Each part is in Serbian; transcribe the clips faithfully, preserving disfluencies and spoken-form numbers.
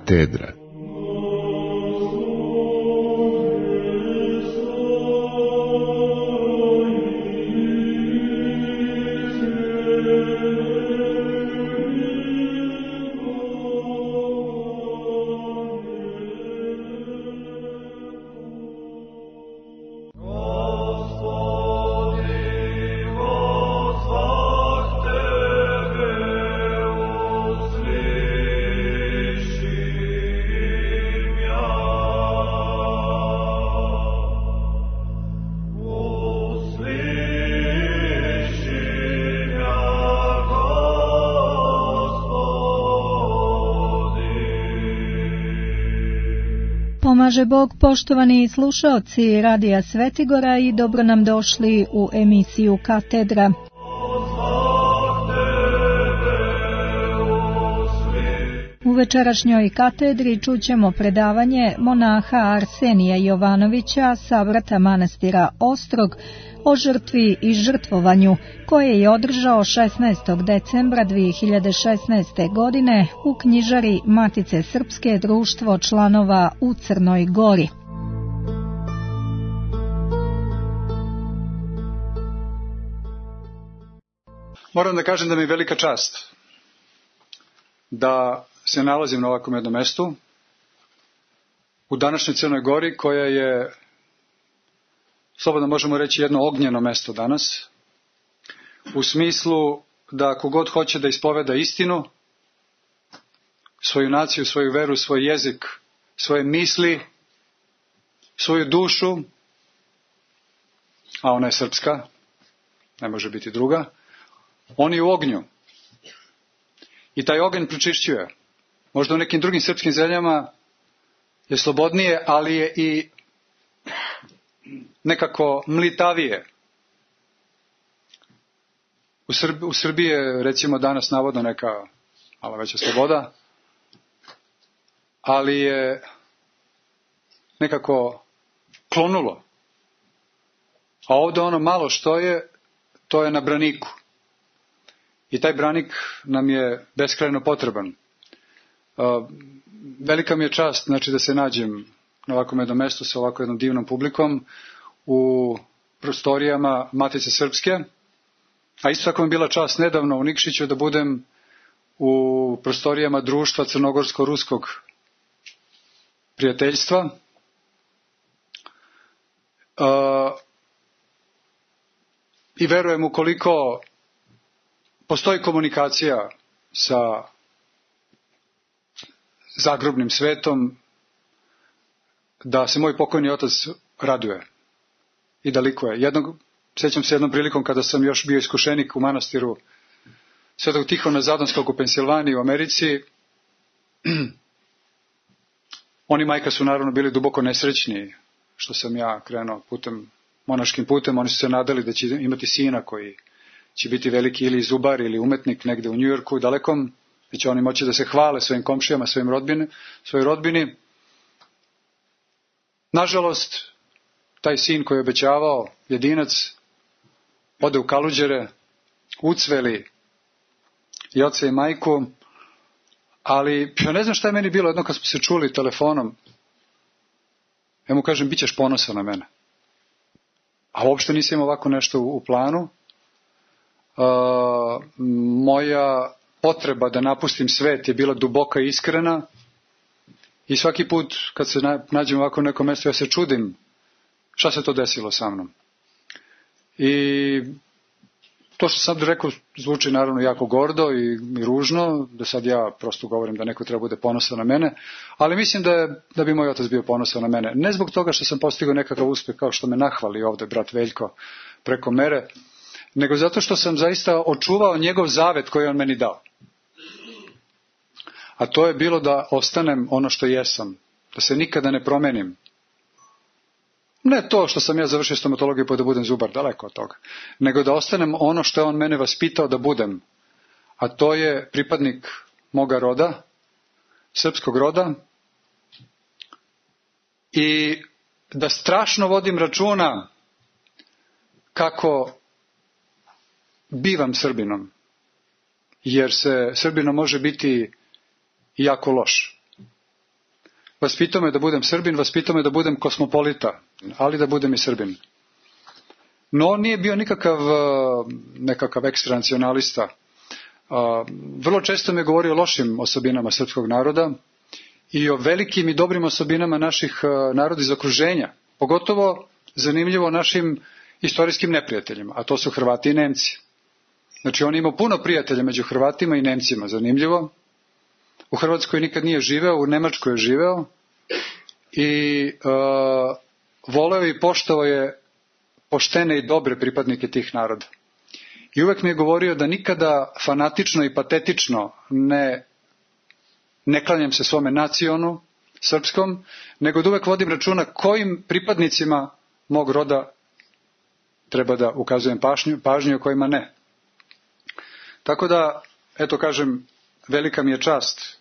Katedra. Pomaže Bog, poštovani slušaoci Radija Svetigora, i dobro nam došli u emisiju Katedra. U večerašnjoj katedri čućemo predavanje monaha Arsenija Jovanovića sa vrata manastira Ostrog o žrtvi i žrtvovanju, koje je održao šesnaestog decembra dvije hiljade šesnaeste. godine u knjižari Matice Srpske, društvo članova u Crnoj Gori. Moram da kažem da mi je velika čast da se nalazim na ovakvom jednom mestu u današnjoj Crnoj Gori, koja je, slobodno možemo reći, jedno ognjeno mesto danas, u smislu da ako god hoće da ispoveda istinu, svoju naciju, svoju veru, svoj jezik, svoje misli, svoju dušu, a ona je srpska, ne može biti druga, on je u ognju. I taj oganj pročišćuje. Možda u nekim drugim srpskim zemljama je slobodnije, ali je i nekako mlitavije. U, Srb, u Srbiji je, recimo, danas navodno neka malo veća sloboda, ali je nekako klonulo. A ovdje ono malo što je, to je na braniku. I taj branik nam je beskrajno potreban. Velika mi je čast, znači, da se nađem na ovakvom jednom mestu sa ovako jednom divnom publikom u prostorijama Matice Srpske, a isto tako mi je bila čast nedavno u Nikšiću da budem u prostorijama društva Crnogorsko-Ruskog prijateljstva. I verujem, ukoliko postoji komunikacija sa zagrobnim svetom, da se moj pokojni otac raduje i da likuje. Jednog, sjećam se jednom prilikom kada sam još bio iskušenik u manastiru Svetog Tihona Zadonskog u Pensilvaniji u Americi. Oni, majka, su naravno bili duboko nesrećni što sam ja krenuo putem, monaškim putem. Oni su se nadali da će imati sina koji će biti veliki ili zubar ili umetnik negde u Njujorku dalekom, da će oni moći da se hvale svojim komšijama, svojim rodbini, svojoj rodbini. Nažalost, taj sin koji je obećavao, jedinac, ode u Kaluđere, ucveli i oca i majku, ali ja ne znam šta je meni bilo jedno kad smo se čuli telefonom. Ja mu kažem, bit ćeš ponosan na mene. A uopšte nisam ovako nešto u, u planu. Uh, moja potreba da napustim svet je bila duboka i iskrena i svaki put kad se nađem ovako u nekom mjestu ja se čudim šta se to desilo sa mnom. I to što sam rekao zvuči naravno jako gordo i, i ružno, da sad ja prosto govorim da neko treba bude ponosan na mene, ali mislim da, je, da bi moj otac bio ponosan na mene. Ne zbog toga što sam postigao nekakav uspjeh kao što me nahvali ovdje brat Veljko preko mere, nego zato što sam zaista očuvao njegov zavet koji je on meni dao. A to je bilo da ostanem ono što jesam, da se nikada ne promenim. Ne to što sam ja završio stomatologiju pa da budem zubar, daleko od toga, nego da ostanem ono što je on mene vaspitao da budem, a to je pripadnik moga roda, srpskog roda, i da strašno vodim računa kako bivam Srbinom, jer se Srbinom može biti jako loš. vaspitao me da budem Srbin, vaspitao me da budem kosmopolita, ali da budem i Srbin. No on nije bio nikakav nekakav ekstranacionalista. Vrlo često mi je govorio o lošim osobinama srpskog naroda i o velikim i dobrim osobinama naših naroda iz okruženja. Pogotovo zanimljivo našim istorijskim neprijateljima, a to su Hrvati i Nemci. Znači on imao puno prijatelja među Hrvatima i Nemcima, zanimljivo. U Hrvatskoj nikad nije živeo, u Nemačkoj je živeo i uh, voleo i poštovao je poštene i dobre pripadnike tih naroda. I uvek mi je govorio da nikada fanatično i patetično ne, ne klanjam se svome nacionu srpskom, nego da uvek vodim računa kojim pripadnicima mog roda treba da ukazujem pažnju, pažnju o kojima ne. Tako da, eto kažem, velika mi je čast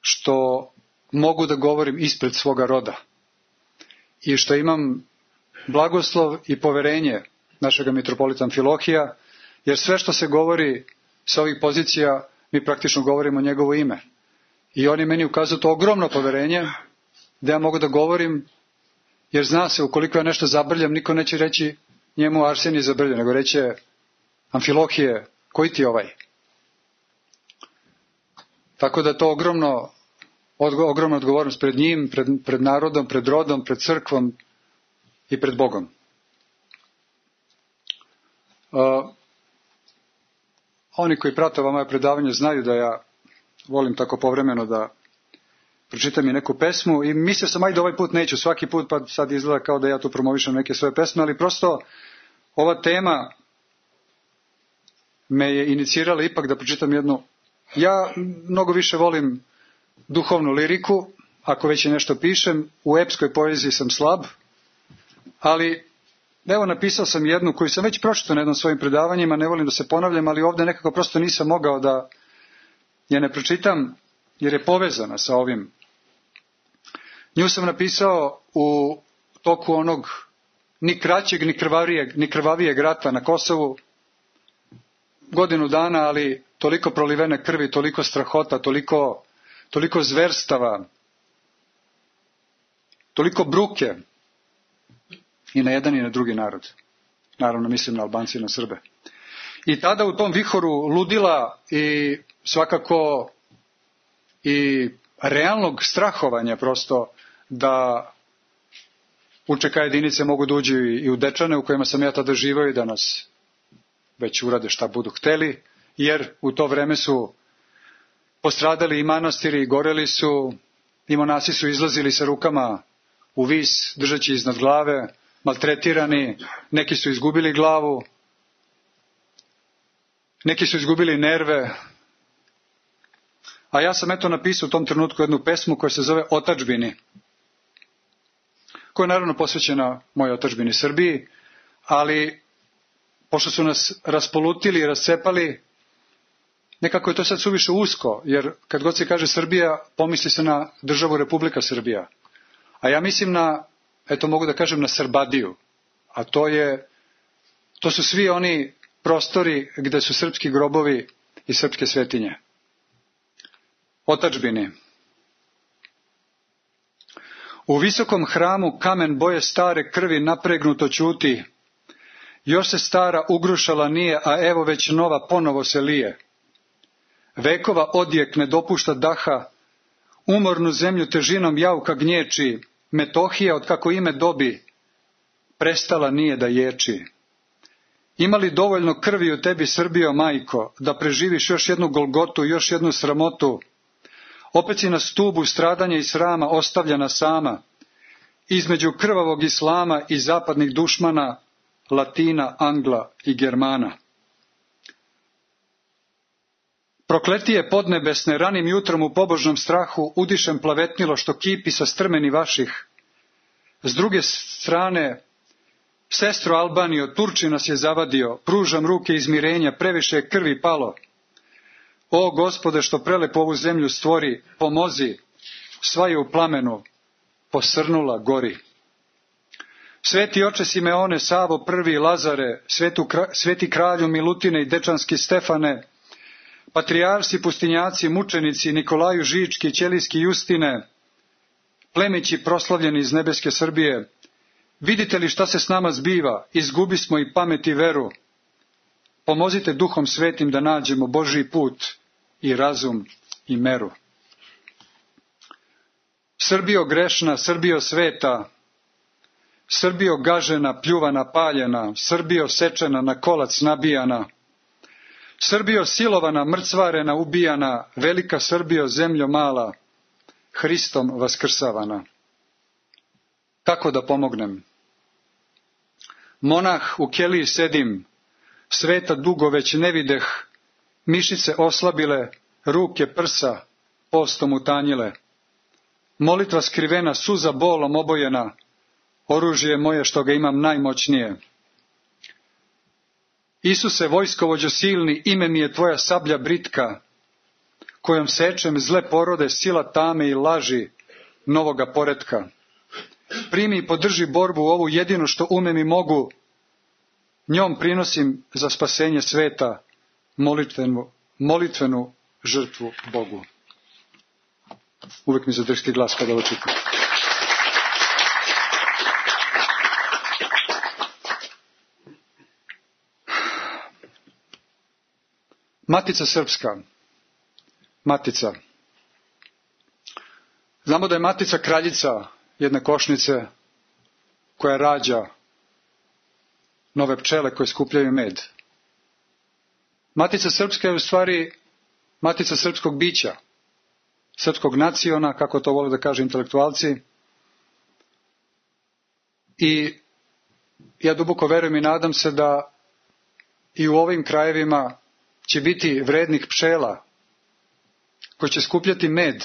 što mogu da govorim ispred svoga roda i što imam blagoslov i poverenje našega mitropolita Amfilohija, jer sve što se govori sa ovih pozicija, mi praktično govorimo njegovo ime. I on je meni ukazao to ogromno poverenje, da ja mogu da govorim, jer zna se, ukoliko ja nešto zabrljam, niko neće reći njemu Arsenije zabrlja, nego reće Amfilohije, koji ti je ovaj? Tako da to ogromno, ogromna odgovornost pred njim, pred, pred narodom, pred rodom, pred crkvom i pred Bogom. Uh, oni koji prate ova moja predavanja znaju da ja volim tako povremeno da pročitam i neku pesmu i mislio sam ajde ovaj put neću, svaki put pa sad izgleda kao da ja tu promovišem neke svoje pesme, ali prosto ova tema me je inicirala ipak da pročitam jednu. Ja mnogo više volim duhovnu liriku, ako već i nešto pišem, u epskoj poeziji sam slab, ali evo napisao sam jednu koju sam već pročitao na jednom svojim predavanjima, ne volim da se ponavljam, ali ovdje nekako prosto nisam mogao da je ne pročitam, jer je povezana sa ovim. Nju sam napisao u toku onog ni kraćeg, ni krvavijeg, ni krvavijeg rata na Kosovu, godinu dana, ali toliko prolivene krvi, toliko strahota, toliko, toliko zverstava, toliko bruke i na jedan i na drugi narod. Naravno mislim na Albance i na Srbe. I tada u tom vihoru ludila i svakako i realnog strahovanja prosto da U Č K jedinice mogu da uđu i u Dečane u kojima sam ja tada živao i da nas već urade šta budu hteli, jer u to vreme su postradali i manastiri, goreli su, i monasi su izlazili sa rukama u vis, držeći iznad glave, maltretirani, neki su izgubili glavu, neki su izgubili nerve. A ja sam eto napisao u tom trenutku jednu pesmu koja se zove Otadžbini, koja je naravno posvećena mojoj otadžbini Srbiji, ali pošto su nas raspolutili i rascepali, nekako je to sad suviše usko, jer kad god se kaže Srbija, pomisli se na državu Republika Srbija. A ja mislim na, eto mogu da kažem, na Srbadiju. A to je, to su svi oni prostori gde su srpski grobovi i srpske svetinje. Otadžbini. U visokom hramu kamen boje stare krvi napregnuto ćuti. Još se stara ugrušala nije, a evo već nova ponovo se lije. Vekova odjek ne dopušta daha, umornu zemlju težinom jauka gnječi, Metohija, od kako ime dobi, prestala nije da ječi. Ima li dovoljno krvi u tebi, Srbijo, majko, da preživiš još jednu golgotu, još jednu sramotu? Opet si na stubu stradanja i srama ostavljena sama, između krvavog islama i zapadnih dušmana, Latina, Angla i Germana. Prokletije podnebesne, ranim jutrom u pobožnom strahu udišem plavetnilo što kipi sa strmeni vaših. S druge strane, sestro Albanijo, Turči nas je zavadio, pružam ruke izmirenja, previše je krvi palo. O Gospode, što prelepo ovu zemlju stvori, pomozi, sva je u plamenu, posrnula gori. Sveti oče Simeone, Savo prvi, Lazare, svetu, sveti kralju Milutine i dečanski Stefane, patrijarsi, pustinjaci, mučenici, Nikolaju Žički, Ćelijski Justine, plemići proslavljeni iz nebeske Srbije, vidite li šta se s nama zbiva, izgubi smo i pamet i veru. Pomozite Duhom Svetim da nađemo Božji put i razum i meru. Srbijo grešna, Srbijo sveta, Srbijo gažena, pljuvana, paljena, Srbijo sečena, na kolac nabijana, Srbijo silovana, mrcvarena, ubijana, velika Srbijo, zemljo mala, Hristom vaskrsavana. Kako da pomognem? Monah u keliji sedim, sveta dugo već ne videh, mišice oslabile, ruke prsa, postom utanjile. Molitva skrivena, suza bolom obojena, oružje moje što ga imam najmoćnije. Isuse, vojskovođo silni, ime mi je tvoja sablja britka, kojom sečem zle porode, sila tame i laži novoga poretka. Primi i podrži borbu ovu jedinu što umem i mogu, njom prinosim za spasenje sveta molitvenu, molitvenu žrtvu Bogu. Uvijek mi zadršti glas kada ovo čitam. Matica Srpska. Matica. Znamo da je Matica kraljica jedne košnice koja rađa nove pčele koje skupljaju med. Matica Srpska je u stvari matica srpskog bića, srpskog naciona, kako to vole da kažu intelektualci. I ja duboko verujem i nadam se da i u ovim krajevima će biti vrednih pčela koji će skupljati med,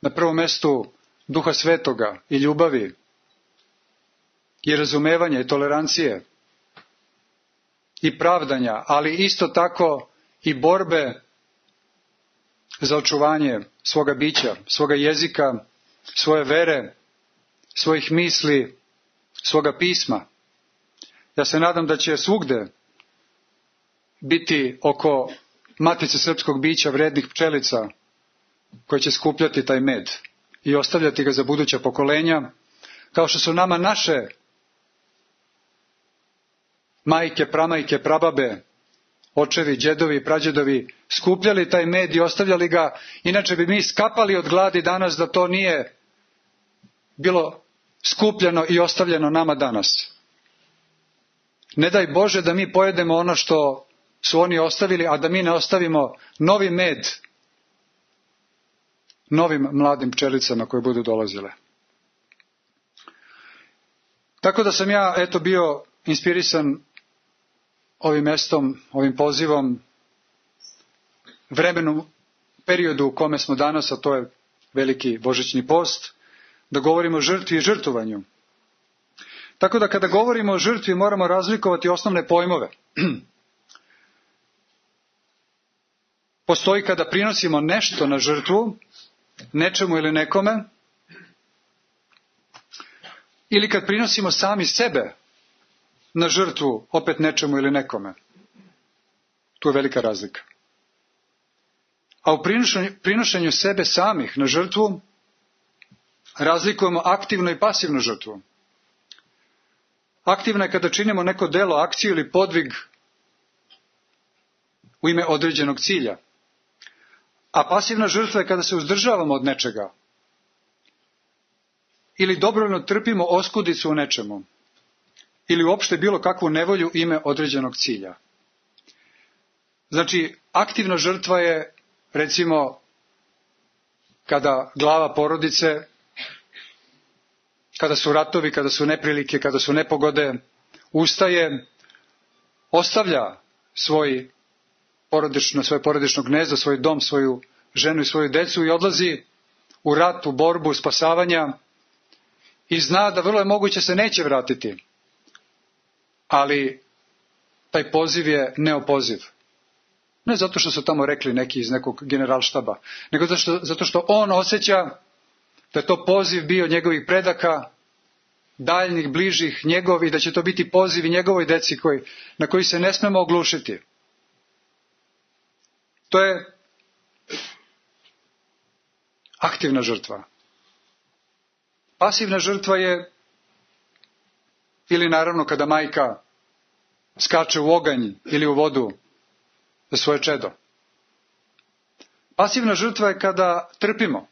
na prvom mestu Duha Svetoga i ljubavi i razumevanja i tolerancije i pravdanja, ali isto tako i borbe za očuvanje svoga bića, svoga jezika, svoje vere, svojih misli, svoga pisma. Ja se nadam da će svugde biti oko matice srpskog bića vrednih pčelica koje će skupljati taj med i ostavljati ga za buduća pokolenja, kao što su nama naše majke, pramajke, prababe, očevi, džedovi i prađedovi skupljali taj med i ostavljali ga, inače bi mi skapali od gladi danas da to nije bilo skupljeno i ostavljeno nama danas. Ne daj Bože da mi pojedemo ono što su oni ostavili, a da mi ne ostavimo novi med novim mladim pčelicama koje budu dolazile. Tako da sam ja eto bio inspirisan ovim mestom, ovim pozivom, vremenu, periodu u kome smo danas, a to je veliki božićni post, da govorimo o žrtvi i žrtvovanju. Tako da kada govorimo o žrtvi moramo razlikovati osnovne pojmove. Postoji kada prinosimo nešto na žrtvu, nečemu ili nekome, ili kad prinosimo sami sebe na žrtvu, opet nečemu ili nekome. Tu je velika razlika. A u prinošenju, prinošenju sebe samih na žrtvu razlikujemo aktivnu i pasivnu žrtvu. Aktivna je kada činimo neko delo, akciju ili podvig u ime određenog cilja. A pasivna žrtva je kada se uzdržavamo od nečega. Ili dobrovoljno trpimo oskudicu u nečemu. Ili uopšte bilo kakvu nevolju u ime određenog cilja. Znači, aktivna žrtva je, recimo, kada glava porodice, kada su ratovi, kada su neprilike, kada su nepogode, ustaje, ostavlja svoj porodično, svoje porodično gnezdo, svoj dom, svoju ženu i svoju decu i odlazi u rat, u borbu, spasavanja i zna da vrlo je moguće se neće vratiti. Ali taj poziv je neopoziv. Ne zato što su tamo rekli neki iz nekog generalštaba, nego zato što, zato što on osjeća da je to poziv bio njegovih predaka, daljnih, bližih, njegov, i da će to biti poziv i njegovoj deci koji, na koji se ne smemo oglušiti. To je aktivna žrtva. Pasivna žrtva je, ili naravno kada majka skače u oganj ili u vodu za svoje čedo. Pasivna žrtva je kada trpimo.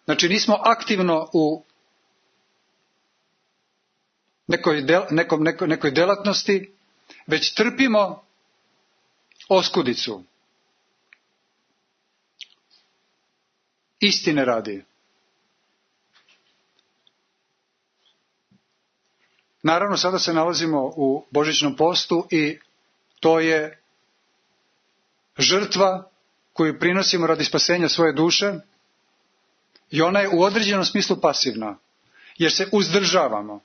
Znači nismo aktivno u nekoj, del, nekom, nekoj, nekoj delatnosti, već trpimo oskudicu. Istine radi. Naravno, sada se nalazimo u božićnom postu i to je žrtva koju prinosimo radi spasenja svoje duše i ona je u određenom smislu pasivna, jer se uzdržavamo.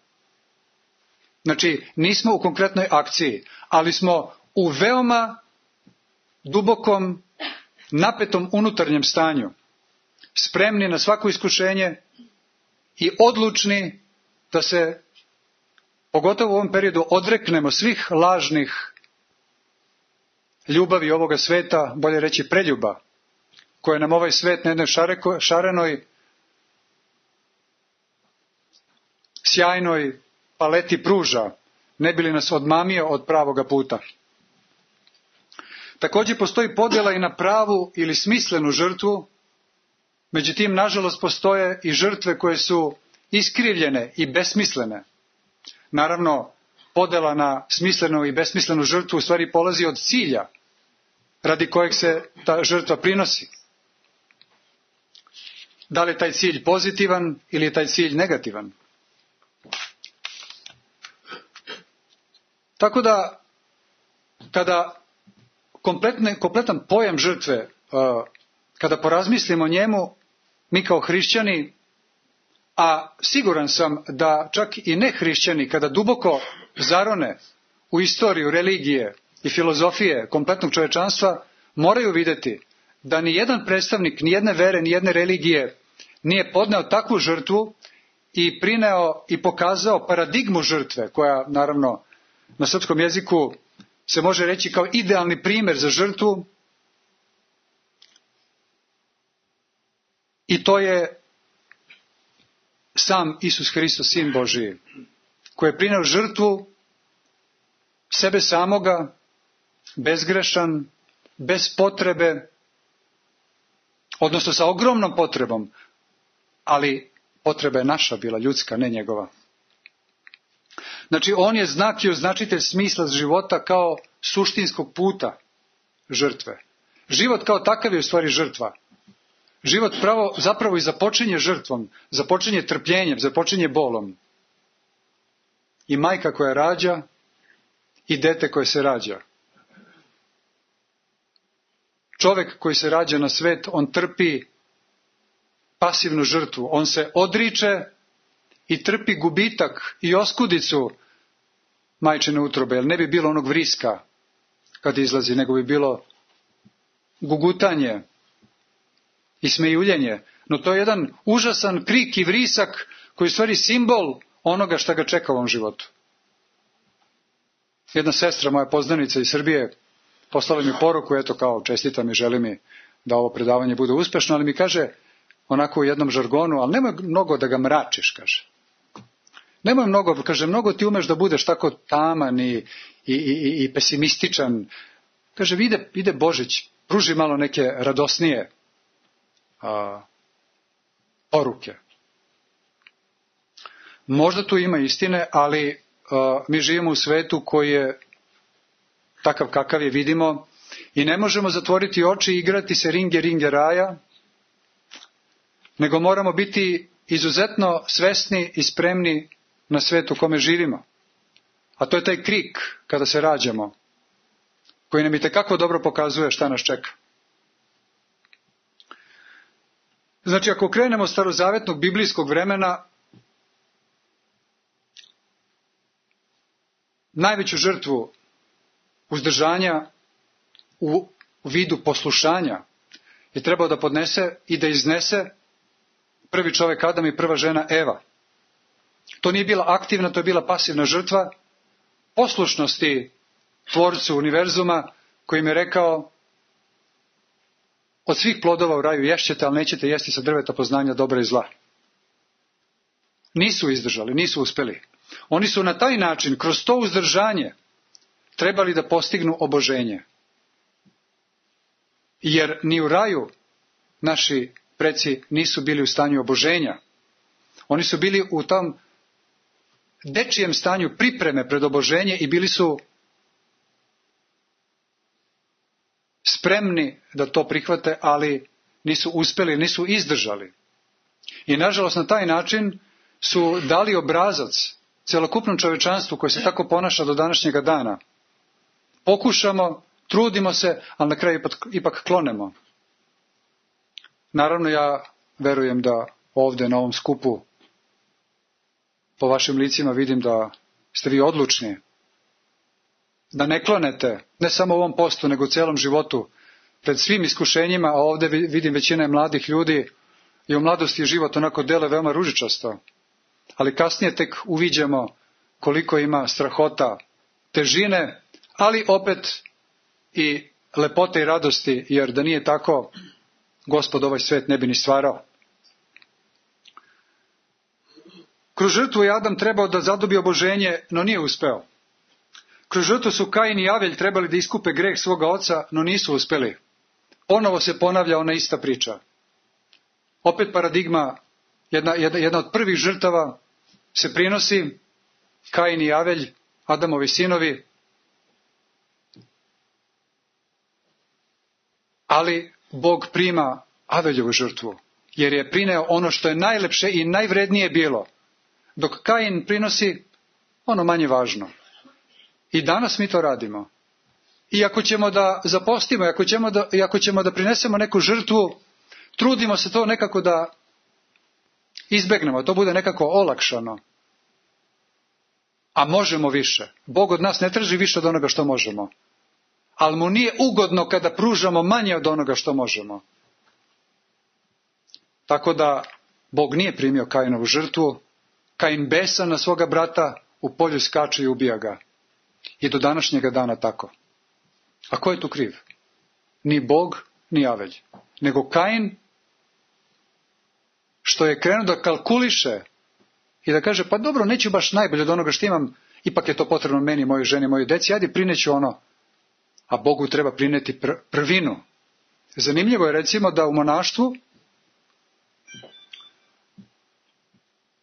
Znači, nismo u konkretnoj akciji, ali smo u veoma dubokom, napetom unutarnjem stanju, spremni na svako iskušenje i odlučni da se, pogotovo u ovom periodu, odreknemo svih lažnih ljubavi ovoga sveta, bolje reći preljuba, koje nam ovaj svet na jednoj šareko, šarenoj, sjajnoj paleti pruža, ne bi li nas odmamio od pravoga puta. Također postoji podjela i na pravu ili smislenu žrtvu, međutim, nažalost, postoje i žrtve koje su iskrivljene i besmislene. Naravno, podjela na smislenu i besmislenu žrtvu u stvari polazi od cilja radi kojeg se ta žrtva prinosi. Da li je taj cilj pozitivan ili je taj cilj negativan? Tako da, kada kompletne, kompletan pojam žrtve, kada porazmislimo o njemu, mi kao hrišćani, a siguran sam da čak i ne hrišćani, kada duboko zarone u istoriju religije i filozofije kompletnog čovečanstva, moraju vidjeti da ni jedan predstavnik, ni jedne vere, ni jedne religije nije podneo takvu žrtvu i prineo i pokazao paradigmu žrtve, koja naravno na srpskom jeziku se može reći kao idealni primjer za žrtvu. I to je sam Isus Hristos, Sin Božiji, koji je prineo žrtvu sebe samoga, bezgrešan, bez potrebe, odnosno sa ogromnom potrebom, ali potreba je naša bila, ljudska, ne njegova. Znači, on je znak i označitelj smisla života kao suštinskog puta žrtve. Život kao takav je u stvari žrtva. Život pravo, zapravo i započinje žrtvom, započinje trpljenjem, započinje bolom. I majka koja rađa i dete koje se rađa. Čovjek koji se rađa na svet, on trpi pasivnu žrtvu. On se odriče i trpi gubitak i oskudicu majčine utrobe, jer ne bi bilo onog vriska kad izlazi, nego bi bilo gugutanje i smejuljenje. No to je jedan užasan krik i vrisak koji je u stvari simbol onoga šta ga čeka u ovom životu. Jedna sestra, moja poznanica iz Srbije, poslala mi poruku, eto kao čestita mi, želi mi da ovo predavanje bude uspešno, ali mi kaže onako u jednom žargonu, ali nemoj mnogo da ga mračiš, kaže. Nemoj mnogo, kaže, mnogo ti umeš da budeš tako taman i, i, i, i pesimističan. Kaže, ide, ide Božić, pruži malo neke radosnije a, poruke. Možda tu ima istine, ali a, mi živimo u svetu koji je takav kakav je, vidimo, i ne možemo zatvoriti oči i igrati se ringe, ringe raja, nego moramo biti izuzetno svesni i spremni na svet u kome živimo. A to je taj krik kada se rađamo, koji nam itekako dobro pokazuje šta nas čeka. Znači, ako krenemo od starozavetnog biblijskog vremena, najveću žrtvu uzdržanja u vidu poslušanja je trebao da podnese i da iznese prvi čovjek Adam i prva žena Eva. To nije bila aktivna, to je bila pasivna žrtva poslušnosti Tvorcu univerzuma, koji im je rekao od svih plodova u raju ješćete, ali nećete jesti sa drveta poznanja dobra i zla. Nisu izdržali, nisu uspeli. Oni su na taj način, kroz to uzdržanje, trebali da postignu oboženje. Jer ni u raju naši preci nisu bili u stanju oboženja. Oni su bili u tom dečijem stanju pripreme pred oboženje i bili su spremni da to prihvate, ali nisu uspeli, nisu izdržali. I nažalost na taj način su dali obrazac celokupnom čovečanstvu koje se tako ponaša do današnjega dana. Pokušamo, trudimo se, ali na kraju ipak, ipak klonemo. Naravno ja verujem da ovdje na ovom skupu po vašim licima vidim da ste vi odlučni. Da ne klonete, ne samo u ovom postu, nego u celom životu, pred svim iskušenjima, a ovdje vidim većina mladih ljudi i u mladosti je život onako dele veoma ružičasto. Ali kasnije tek uviđamo koliko ima strahota, težine, ali opet i lepote i radosti, jer da nije tako, Gospod ovaj svet ne bi ni stvarao. Kroz žrtvu je Adam trebao da zadobije oboženje, no nije uspeo. Kroz žrtvu su Kain i Avelj trebali da iskupe greh svoga oca, no nisu uspeli. Ponovo se ponavlja ona ista priča. Opet paradigma, jedna, jedna, jedna od prvih žrtava se prinosi, Kain i Avelj, Adamovi sinovi, ali Bog prima Aveljovu žrtvu, jer je prineo ono što je najlepše i najvrednije bilo, dok Kain prinosi ono manje važno. I danas mi to radimo. I ako ćemo da zapostimo, i ako ćemo da, i ako ćemo da prinesemo neku žrtvu, trudimo se to nekako da izbegnemo, to bude nekako olakšano. A možemo više. Bog od nas ne traži više od onoga što možemo. Ali mu nije ugodno kada pružamo manje od onoga što možemo. Tako da Bog nije primio Kainovu žrtvu. Kain besan na svoga brata u polju skače i ubija ga. I do današnjega dana tako. A ko je tu kriv? Ni Bog, ni Avelj. Nego Kain, što je krenuo da kalkuliše i da kaže, pa dobro, neću baš najbolje od onoga što imam, ipak je to potrebno meni, mojoj ženi, mojoj deci, ajde prineću ono. A Bogu treba prineti pr- prvinu. Zanimljivo je recimo da u monaštvu,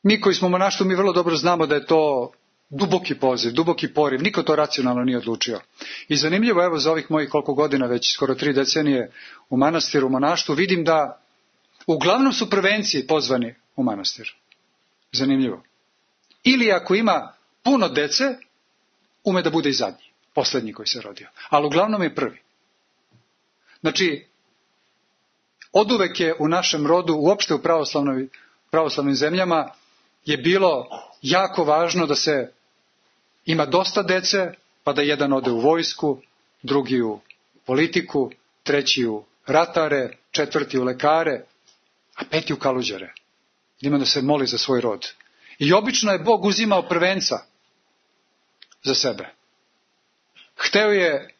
mi koji smo u monaštvu, mi vrlo dobro znamo da je to duboki poziv, duboki poriv, niko to racionalno nije odlučio. I zanimljivo, evo za ovih mojih koliko godina, već skoro tri decenije u manastiru, u monaštvu, vidim da uglavnom su prvenci pozvani u manastir. Zanimljivo. Ili ako ima puno dece, ume da bude i zadnji, posljednji koji se rodio. Ali uglavnom je prvi. Znači, oduvek je u našem rodu, uopšte u pravoslavnim zemljama, je bilo jako važno da se ima dosta dece, pa da jedan ode u vojsku, drugi u politiku, treći u ratare, četvrti u lekare, a peti u kaluđare. Ima da se moli za svoj rod. I obično je Bog uzimao prvenca za sebe. Hteo je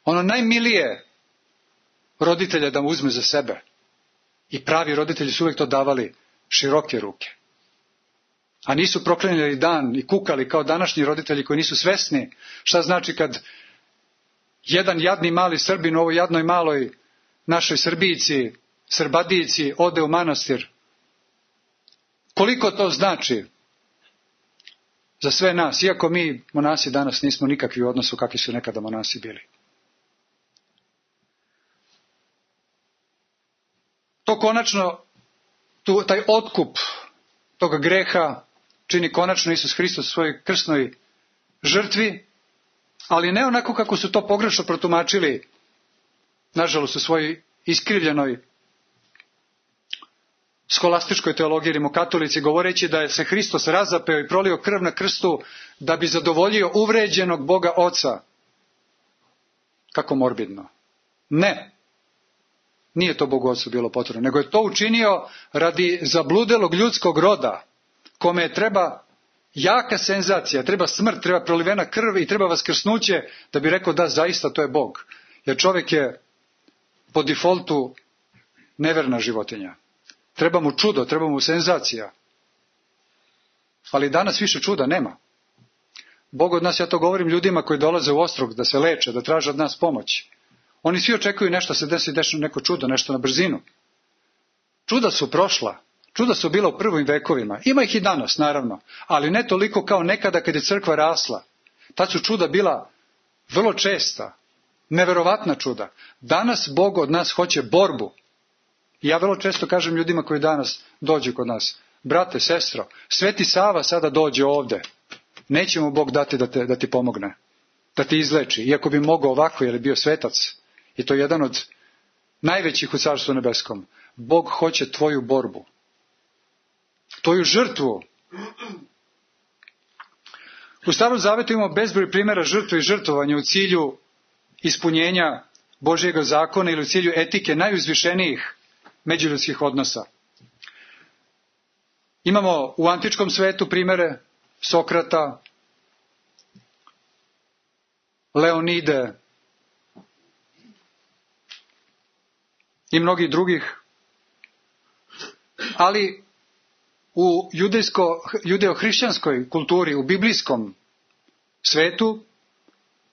ono najmilije roditelja da mu uzme za sebe. I pravi roditelji su uvijek to davali široke ruke. A nisu proklinjali dan i kukali kao današnji roditelji koji nisu svesni šta znači kad jedan jadni mali Srbin u ovoj jadnoj maloj našoj Srbijici, Srbadijici ode u manastir. Koliko to znači za sve nas, iako mi monasi danas nismo nikakvi u odnosu kakvi su nekada monasi bili. To konačno, tu, taj otkup toga greha čini konačno Isus Hristos u svojoj krsnoj žrtvi, ali ne onako kako su to pogrešno protumačili, nažalost u svojoj iskrivljenoj skolastičkoj teologiji rimokatolici, govoreći da je se Hristos razapeo i prolio krv na krstu da bi zadovoljio uvređenog Boga Oca. Kako morbidno. Ne. Nije to Bogu Ocu bilo potrebno, nego je to učinio radi zabludelog ljudskog roda, kome je treba jaka senzacija, treba smrt, treba prolivena krv i treba vaskrsnuće da bi rekao da zaista to je Bog. Jer čovjek je po defaultu neverna životinja. Treba mu čudo, treba mu senzacija. Ali danas više čuda nema. Bog od nas, ja to govorim ljudima koji dolaze u Ostrog da se leče, da traže od nas pomoć. Oni svi očekuju nešto se desi, desi neko čudo, nešto na brzinu. Čuda su prošla. Čuda su bila u prvim vekovima. Ima ih i danas, naravno. Ali ne toliko kao nekada kad je crkva rasla. Tad su čuda bila vrlo česta. Neverovatna čuda. Danas Bog od nas hoće borbu. I ja vrlo često kažem ljudima koji danas dođu kod nas. Brate, sestro, Sveti Sava sada dođe ovde. Neće mu Bog dati da, te, da ti pomogne. Da ti izleči. Iako bi mogao ovako, jer je bio svetac. I to je jedan od najvećih u Carstvu nebeskom. Bog hoće tvoju borbu. Tvoju žrtvu. U Starom Zavetu imamo bezbroj primjera žrtve i žrtvovanja u cilju ispunjenja Božjega zakona ili u cilju etike najuzvišenijih međuljudskih odnosa. Imamo u antičkom svetu primjere Sokrata, Leonide i mnogih drugih. Ali u judejsko, judeo-hrišćanskoj kulturi, u biblijskom svetu,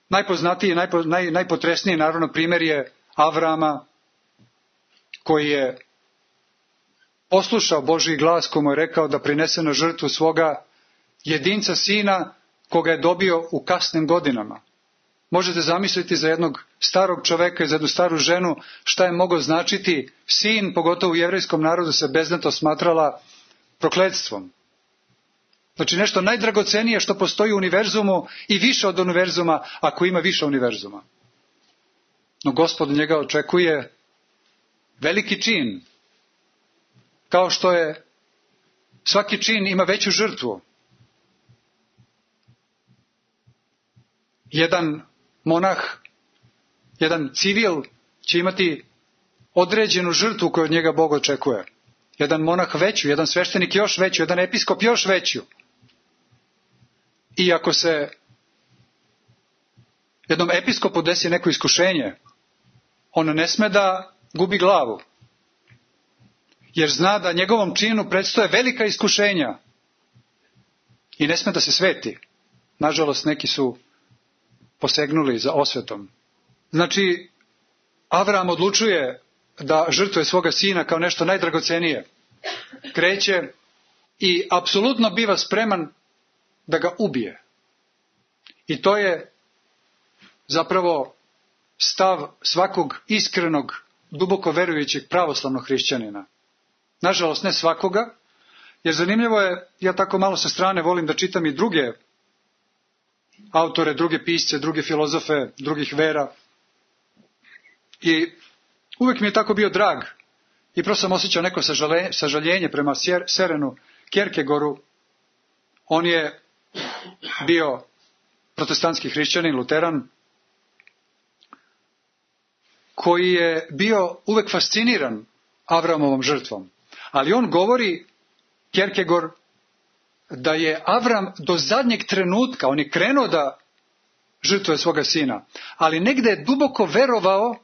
najpoznatiji i najpo, naj, najpotresniji naravno primjer je Avrama, koji je poslušao Božji glas, koji mu je rekao da prinese na žrtvu svoga jedinca sina, koga je dobio u kasnim godinama. Možete zamisliti za jednog starog čoveka i za jednu staru ženu šta je mogao značiti sin, pogotovo u jevrejskom narodu se beznato smatrala prokletstvom. Znači nešto najdragocenije što postoji u univerzumu i više od univerzuma ako ima više univerzuma. No Gospod njega očekuje veliki čin. Kao što je svaki čin ima veću žrtvu. Jedan monah, jedan civil će imati određenu žrtvu koju od njega Bog očekuje. Jedan monah veću, jedan sveštenik još veću, jedan episkop još veću. I ako se jednom episkopu desi neko iskušenje, on ne sme da gubi glavu. Jer zna da njegovom činu predstoje velika iskušenja. I ne sme da se sveti. Nažalost, neki su posegnuli za osvetom. Znači, Avram odlučuje da žrtvuje svoga sina kao nešto najdragocenije. Kreće i apsolutno biva spreman da ga ubije. I to je zapravo stav svakog iskrenog, duboko verujućeg pravoslavnog hrišćanina. Nažalost, ne svakoga, jer zanimljivo je, ja tako malo sa strane volim da čitam i druge autore, druge pisce, druge filozofe, drugih vera. I uvijek mi je tako bio drag. I prosto sam osjećao neko sažaljenje prema Sørenu Kierkegaardu. On je bio protestantski hrišćanin, luteran, koji je bio uvijek fasciniran Avramovom žrtvom. Ali on govori, Kierkegaard, da je Avram do zadnjeg trenutka, on je krenuo da žrtvuje svoga sina, ali negde je duboko verovao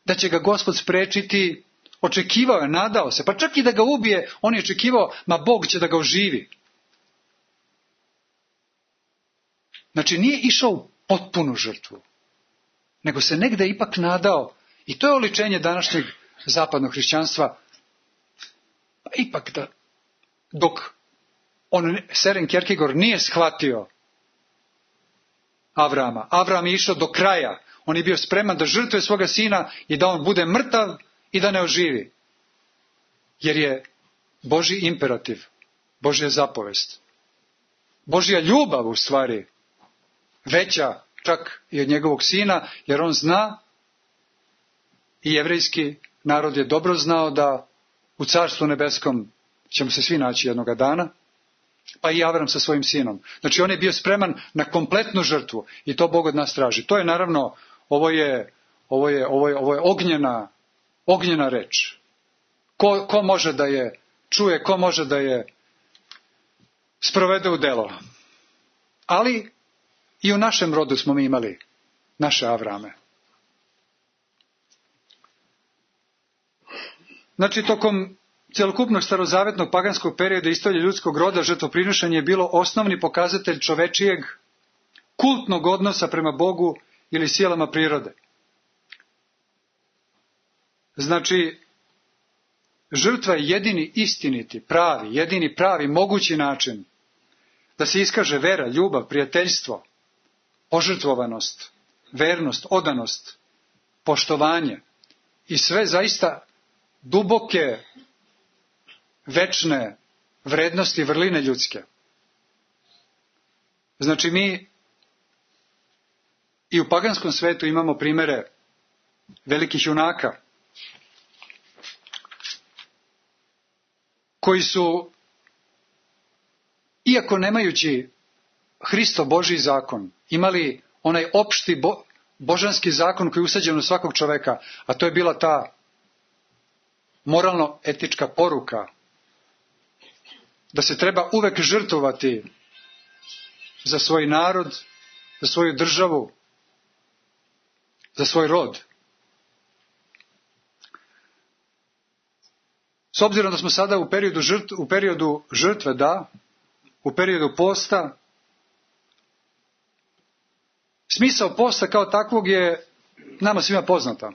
da će ga Gospod sprečiti, očekivao je, nadao se, pa čak i da ga ubije, on je očekivao, ma Bog će da ga oživi. Znači nije išao u potpunu žrtvu, nego se negde ipak nadao, i to je oličenje današnjeg zapadnog hrišćanstva, pa ipak da, dok on, Søren Kierkegaard, nije shvatio Avrama. Avram je išao do kraja. On je bio spreman da žrtvuje svoga sina i da on bude mrtav i da ne oživi. Jer je Božji imperativ, Božja zapovest, Božja ljubav u stvari veća čak i od njegovog sina, jer on zna, i jevrejski narod je dobro znao, da u Carstvu nebeskom ćemo se svi naći jednoga dana, pa i Avram sa svojim sinom. Znači on je bio spreman na kompletnu žrtvu i to Bog od nas traži. To je naravno, ovo je, ovo je, ovo je, ovo je ognjena, ognjena reč. Ko, ko može da je čuje, ko može da je sprovede u delo. Ali i u našem rodu smo mi imali naše Avrame. Znači, tokom celokupnog starozavetnog paganskog perioda istorije ljudskog roda, žrtvoprinošenje je bilo osnovni pokazatelj čovečijeg kultnog odnosa prema Bogu ili silama prirode. Znači, žrtva je jedini istiniti, pravi, jedini pravi, mogući način da se iskaže vera, ljubav, prijateljstvo, požrtvovanost, vernost, odanost, poštovanje i sve zaista duboke, večne vrednosti, vrline ljudske. Znači, mi i u paganskom svetu imamo primere velikih junaka koji su, iako nemajući Hristo Božji zakon, imali onaj opšti bo, božanski zakon koji je usađen u svakog čoveka, a to je bila ta moralno-etička poruka da se treba uvek žrtvovati za svoj narod, za svoju državu, za svoj rod. S obzirom da smo sada u periodu žrtve, u periodu žrtve, da, u periodu posta, smisao posta kao takvog je nama svima poznata.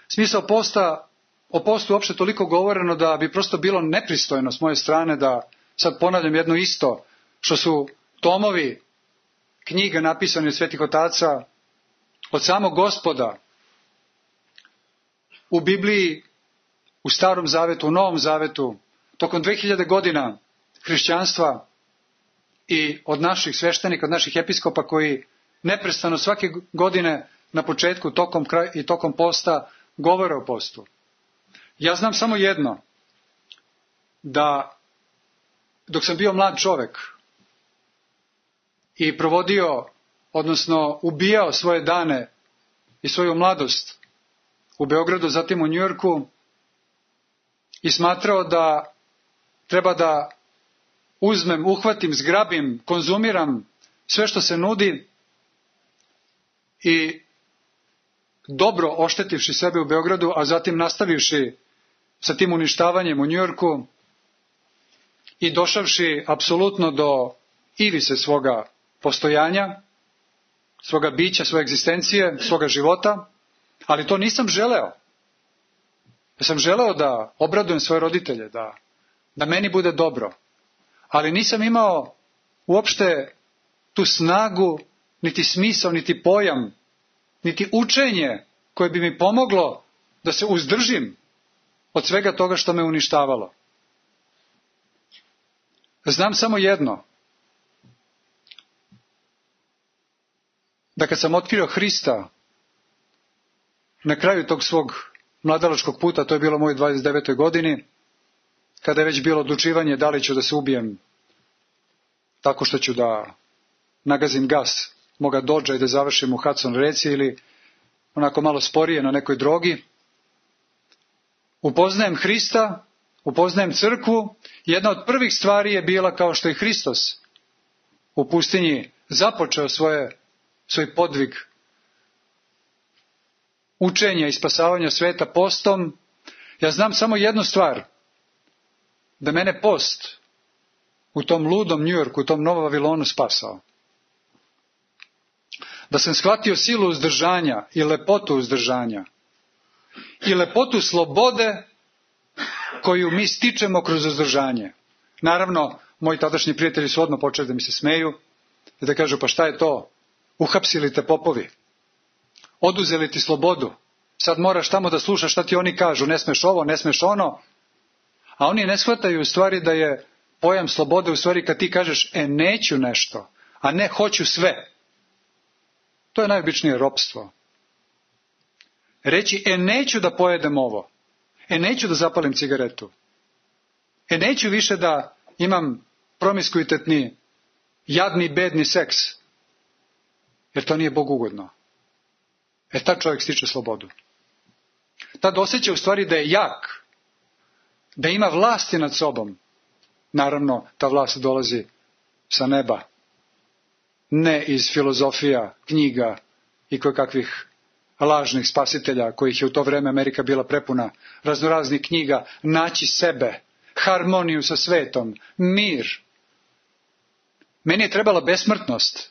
Smisao posta, o postu uopšte toliko govoreno da bi prosto bilo nepristojno s moje strane da sad ponavljam jedno isto, što su tomovi knjiga napisane od svetih otaca, od samog Gospoda, u Bibliji, u Starom zavetu, u Novom zavetu, tokom dve hiljade godina hrišćanstva i od naših sveštenika, od naših episkopa koji neprestano svake godine na početku tokom kraj, i tokom posta govore o postu. Ja znam samo jedno, da dok sam bio mlad čovek i provodio, odnosno ubijao svoje dane i svoju mladost u Beogradu, zatim u Njujorku, i smatrao da treba da uzmem, uhvatim, zgrabim, konzumiram sve što se nudi i dobro oštetivši sebe u Beogradu, a zatim nastavivši sa tim uništavanjem u Njujorku i došavši apsolutno do ivice svoga postojanja, svoga bića, svoje egzistencije, svoga života, ali to nisam želeo. Ja sam želeo da obradujem svoje roditelje, da, da meni bude dobro, ali nisam imao uopšte tu snagu, niti smisao, niti pojam, niti učenje koje bi mi pomoglo da se uzdržim od svega toga što me uništavalo. Znam samo jedno, da kad sam otkrio Hrista na kraju tog svog mladalačkog puta, to je bilo u mojoj dvadeset devetoj godini, kada je već bilo odlučivanje da li ću da se ubijem tako što ću da nagazim gas moga dodža i da završim u Hudson reci ili onako malo sporije na nekoj drogi. Upoznajem Hrista, upoznajem crkvu. Jedna od prvih stvari je bila kao što je Hristos u pustinji započeo svoje, svoj podvig učenja i spasavanja sveta postom. Ja znam samo jednu stvar, da mene post u tom ludom Njujorku, u tom Novom Vavilonu spasao. Da sam shvatio silu uzdržanja i lepotu uzdržanja i lepotu slobode koju mi stičemo kroz uzdržanje. Naravno, moji tadašnji prijatelji su odmah počeli da mi se smeju i da kažu, pa šta je to? Uhapsili te popovi, oduzeli ti slobodu, sad moraš tamo da slušaš šta ti oni kažu, ne smeš ovo, ne smeš ono. A oni ne shvataju u stvari da je pojam slobode u stvari kad ti kažeš, e neću nešto, a ne hoću sve. To je najobičnije ropstvo. Reći, e neću da pojedem ovo, e neću da zapalim cigaretu, e neću više da imam promiskuitetni, jadni, bedni seks, jer to nije Bogu ugodno. E tad čovjek stiče slobodu. Tad osjeća u stvari da je jak, da ima vlasti nad sobom. Naravno, ta vlast dolazi sa neba. Ne iz filozofija, knjiga i kojekakvih lažnih spasitelja, kojih je u to vreme Amerika bila prepuna, raznoraznih knjiga, naći sebe, harmoniju sa svetom, mir. Meni je trebala besmrtnost.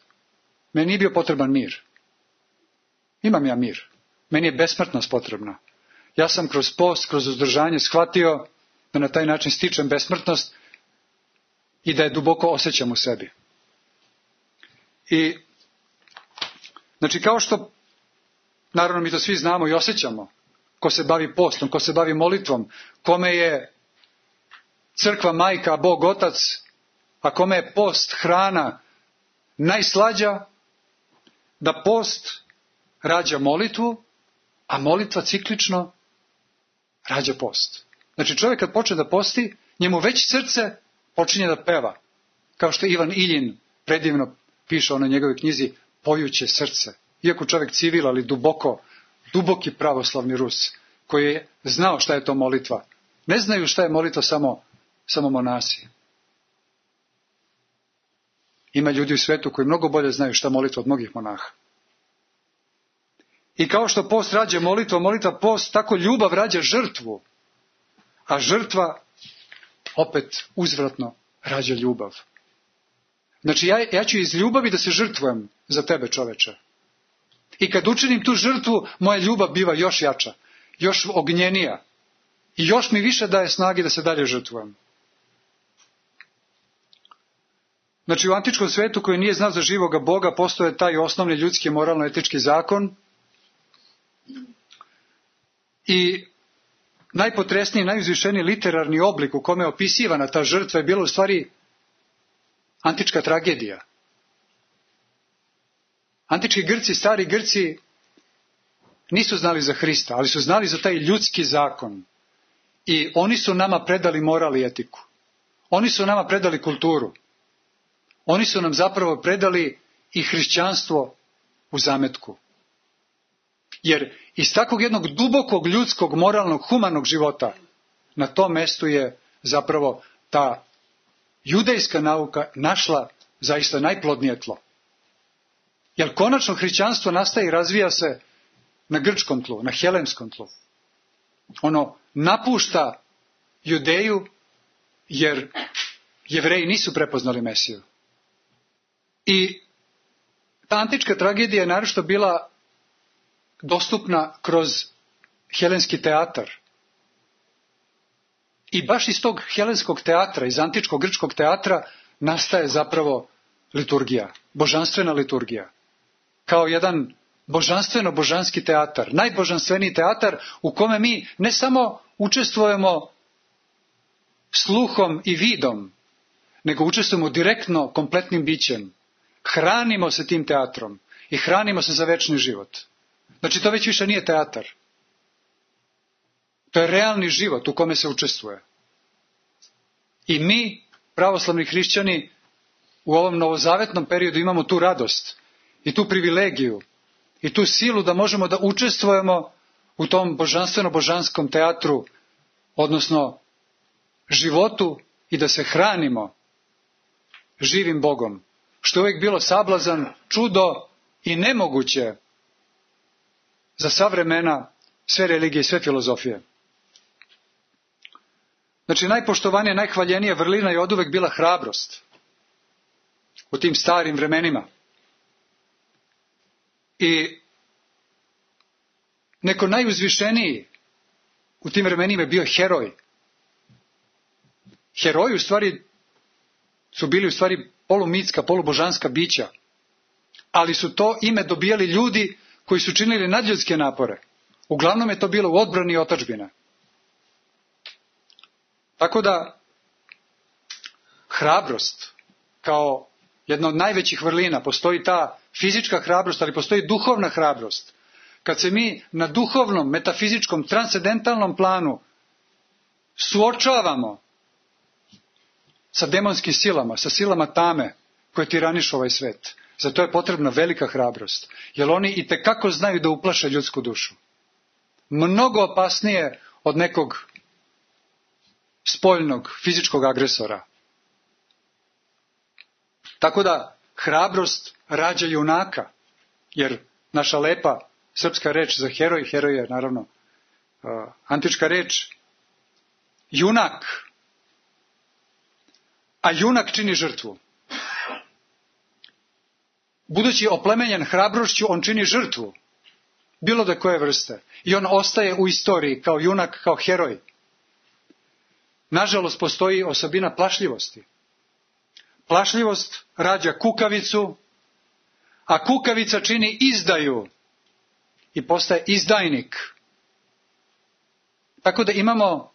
Meni nije bio potreban mir. Imam ja mir. Meni je besmrtnost potrebna. Ja sam kroz post, kroz uzdržanje shvatio da na taj način stičem besmrtnost i da je duboko osjećam u sebi. I, znači, kao što, naravno mi to svi znamo i osjećamo, ko se bavi postom, ko se bavi molitvom, kome je crkva majka, a Bog otac, a kome je post, hrana najslađa, da post rađa molitvu, a molitva ciklično rađa post. Znači, čovjek kad počne da posti, njemu već srce počinje da peva. Kao što Ivan Iljin predivno piše o njegovoj knjizi Pojuće srce. Iako čovjek civil, ali duboko, duboki pravoslavni Rus, koji je znao šta je to molitva. Ne znaju šta je molitva samo, samo monasi. Ima ljudi u svetu koji mnogo bolje znaju šta molitva od mnogih monaha. I kao što post rađa molitva, molitva post, tako ljubav rađa žrtvu. A žrtva opet uzvratno rađa ljubav. Znači ja, ja ću iz ljubavi da se žrtvujem za tebe, čoveče. I kad učinim tu žrtvu, moja ljubav biva još jača, još ognjenija. I još mi više daje snage da se dalje žrtvujem. Znači u antičkom svetu koji nije znao za živoga Boga, postoje taj osnovni ljudski moralno-etički zakon. I najpotresniji, najuzvišeniji literarni oblik u kome je opisivana ta žrtva je bila u stvari antička tragedija. Antički Grci, stari Grci nisu znali za Hrista, ali su znali za taj ljudski zakon. I oni su nama predali moral i etiku. Oni su nama predali kulturu. Oni su nam zapravo predali i hrišćanstvo u zametku. Jer iz takvog jednog dubokog ljudskog, moralnog, humanog života na tom mestu je zapravo ta judejska nauka našla zaista najplodnije tlo. Jer konačno hrišćanstvo nastaje i razvija se na grčkom tlu, na helemskom tlu. Ono napušta Judeju jer Jevreji nisu prepoznali Mesiju. I ta antička tragedija je naročito bila dostupna kroz helenski teatar. I baš iz tog helenskog teatra, iz antičkog grčkog teatra, nastaje zapravo liturgija, božanstvena liturgija. Kao jedan božanstveno-božanski teatar, najbožanstveniji teatar u kome mi ne samo učestvujemo sluhom i vidom, nego učestvujemo direktno kompletnim bićem. Hranimo se tim teatrom i hranimo se za večni život. Znači to već više nije teatar. To je realni život u kome se učestvuje. I mi, pravoslavni hrišćani, u ovom novozavetnom periodu imamo tu radost i tu privilegiju i tu silu da možemo da učestvujemo u tom božanstveno-božanskom teatru, odnosno životu i da se hranimo živim Bogom. Što je uvijek bilo sablazan, čudo i nemoguće za sva vremena, sve religije i sve filozofije. Znači, najpoštovanija, najhvaljenija vrlina je oduvek bila hrabrost u tim starim vremenima. I neko najuzvišeniji u tim vremenima je bio heroj. Heroji u stvari su bili u stvari polumitska, polubožanska bića. Ali su to ime dobijali ljudi koji su činili nadljudske napore. Uglavnom je to bilo u odbrani i otadžbina. Tako da, hrabrost, kao jedna od najvećih vrlina, postoji ta fizička hrabrost, ali postoji duhovna hrabrost. Kad se mi na duhovnom, metafizičkom, transcendentalnom planu suočavamo sa demonskim silama, sa silama tame koje tiranišu ovaj svet, za to je potrebna velika hrabrost. Jer oni itekako znaju da uplaše ljudsku dušu. Mnogo opasnije od nekog spoljnog, fizičkog agresora. Tako da hrabrost rađa junaka, jer naša lepa srpska reč za heroj, heroj je naravno uh, antička reč, junak. A junak čini žrtvu. Budući oplemenjen hrabrošću, on čini žrtvu. Bilo da koje vrste. I on ostaje u istoriji kao junak, kao heroj. Nažalost, postoji osobina plašljivosti. Plašljivost rađa kukavicu, a kukavica čini izdaju i postaje izdajnik. Tako da imamo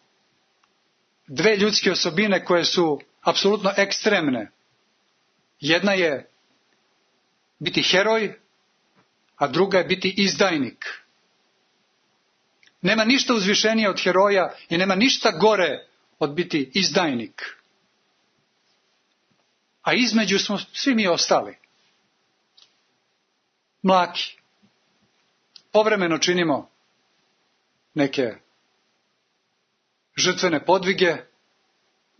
dve ljudske osobine koje su apsolutno ekstremne. Jedna je biti heroj, a druga je biti izdajnik. Nema ništa uzvišenije od heroja i nema ništa gore od biti izdajnik. A između smo svi mi ostali. Mlaki. Povremeno činimo neke žrtvene podvige,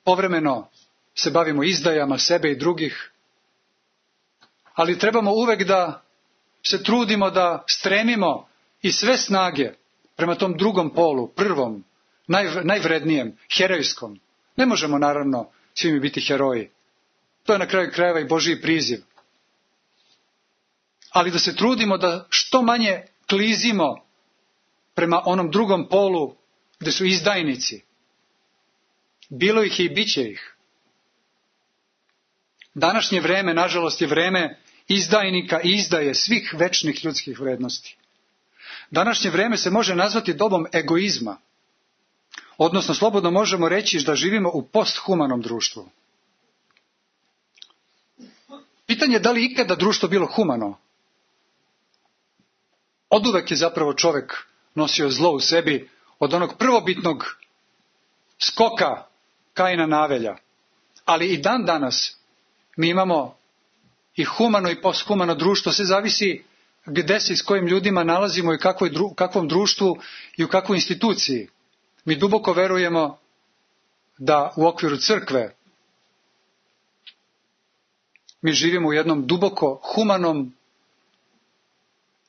povremeno se bavimo izdajama sebe i drugih, ali trebamo uvek da se trudimo da stremimo i sve snage prema tom drugom polu, prvom, naj, najvrednijem, herojskom. Ne možemo naravno svi mi biti heroji. To je na kraju krajeva i Božji priziv. Ali da se trudimo da što manje klizimo prema onom drugom polu gde su izdajnici. Bilo ih je i bit će ih. Današnje vreme, nažalost, je vreme izdajnika i izdaje svih večnih ljudskih vrednosti. Današnje vreme se može nazvati dobom egoizma. Odnosno, slobodno možemo reći da živimo u posthumanom društvu. Pitanje je da li ikada društvo bilo humano? Oduvek je zapravo čovek nosio zlo u sebi od onog prvobitnog skoka Kaina na Avelja. Ali i dan danas mi imamo i humano i posthumano društvo. Sve zavisi gde se i s kojim ljudima nalazimo i u kakvom društvu i u kakvoj instituciji. Mi duboko verujemo da u okviru crkve mi živimo u jednom duboko humanom,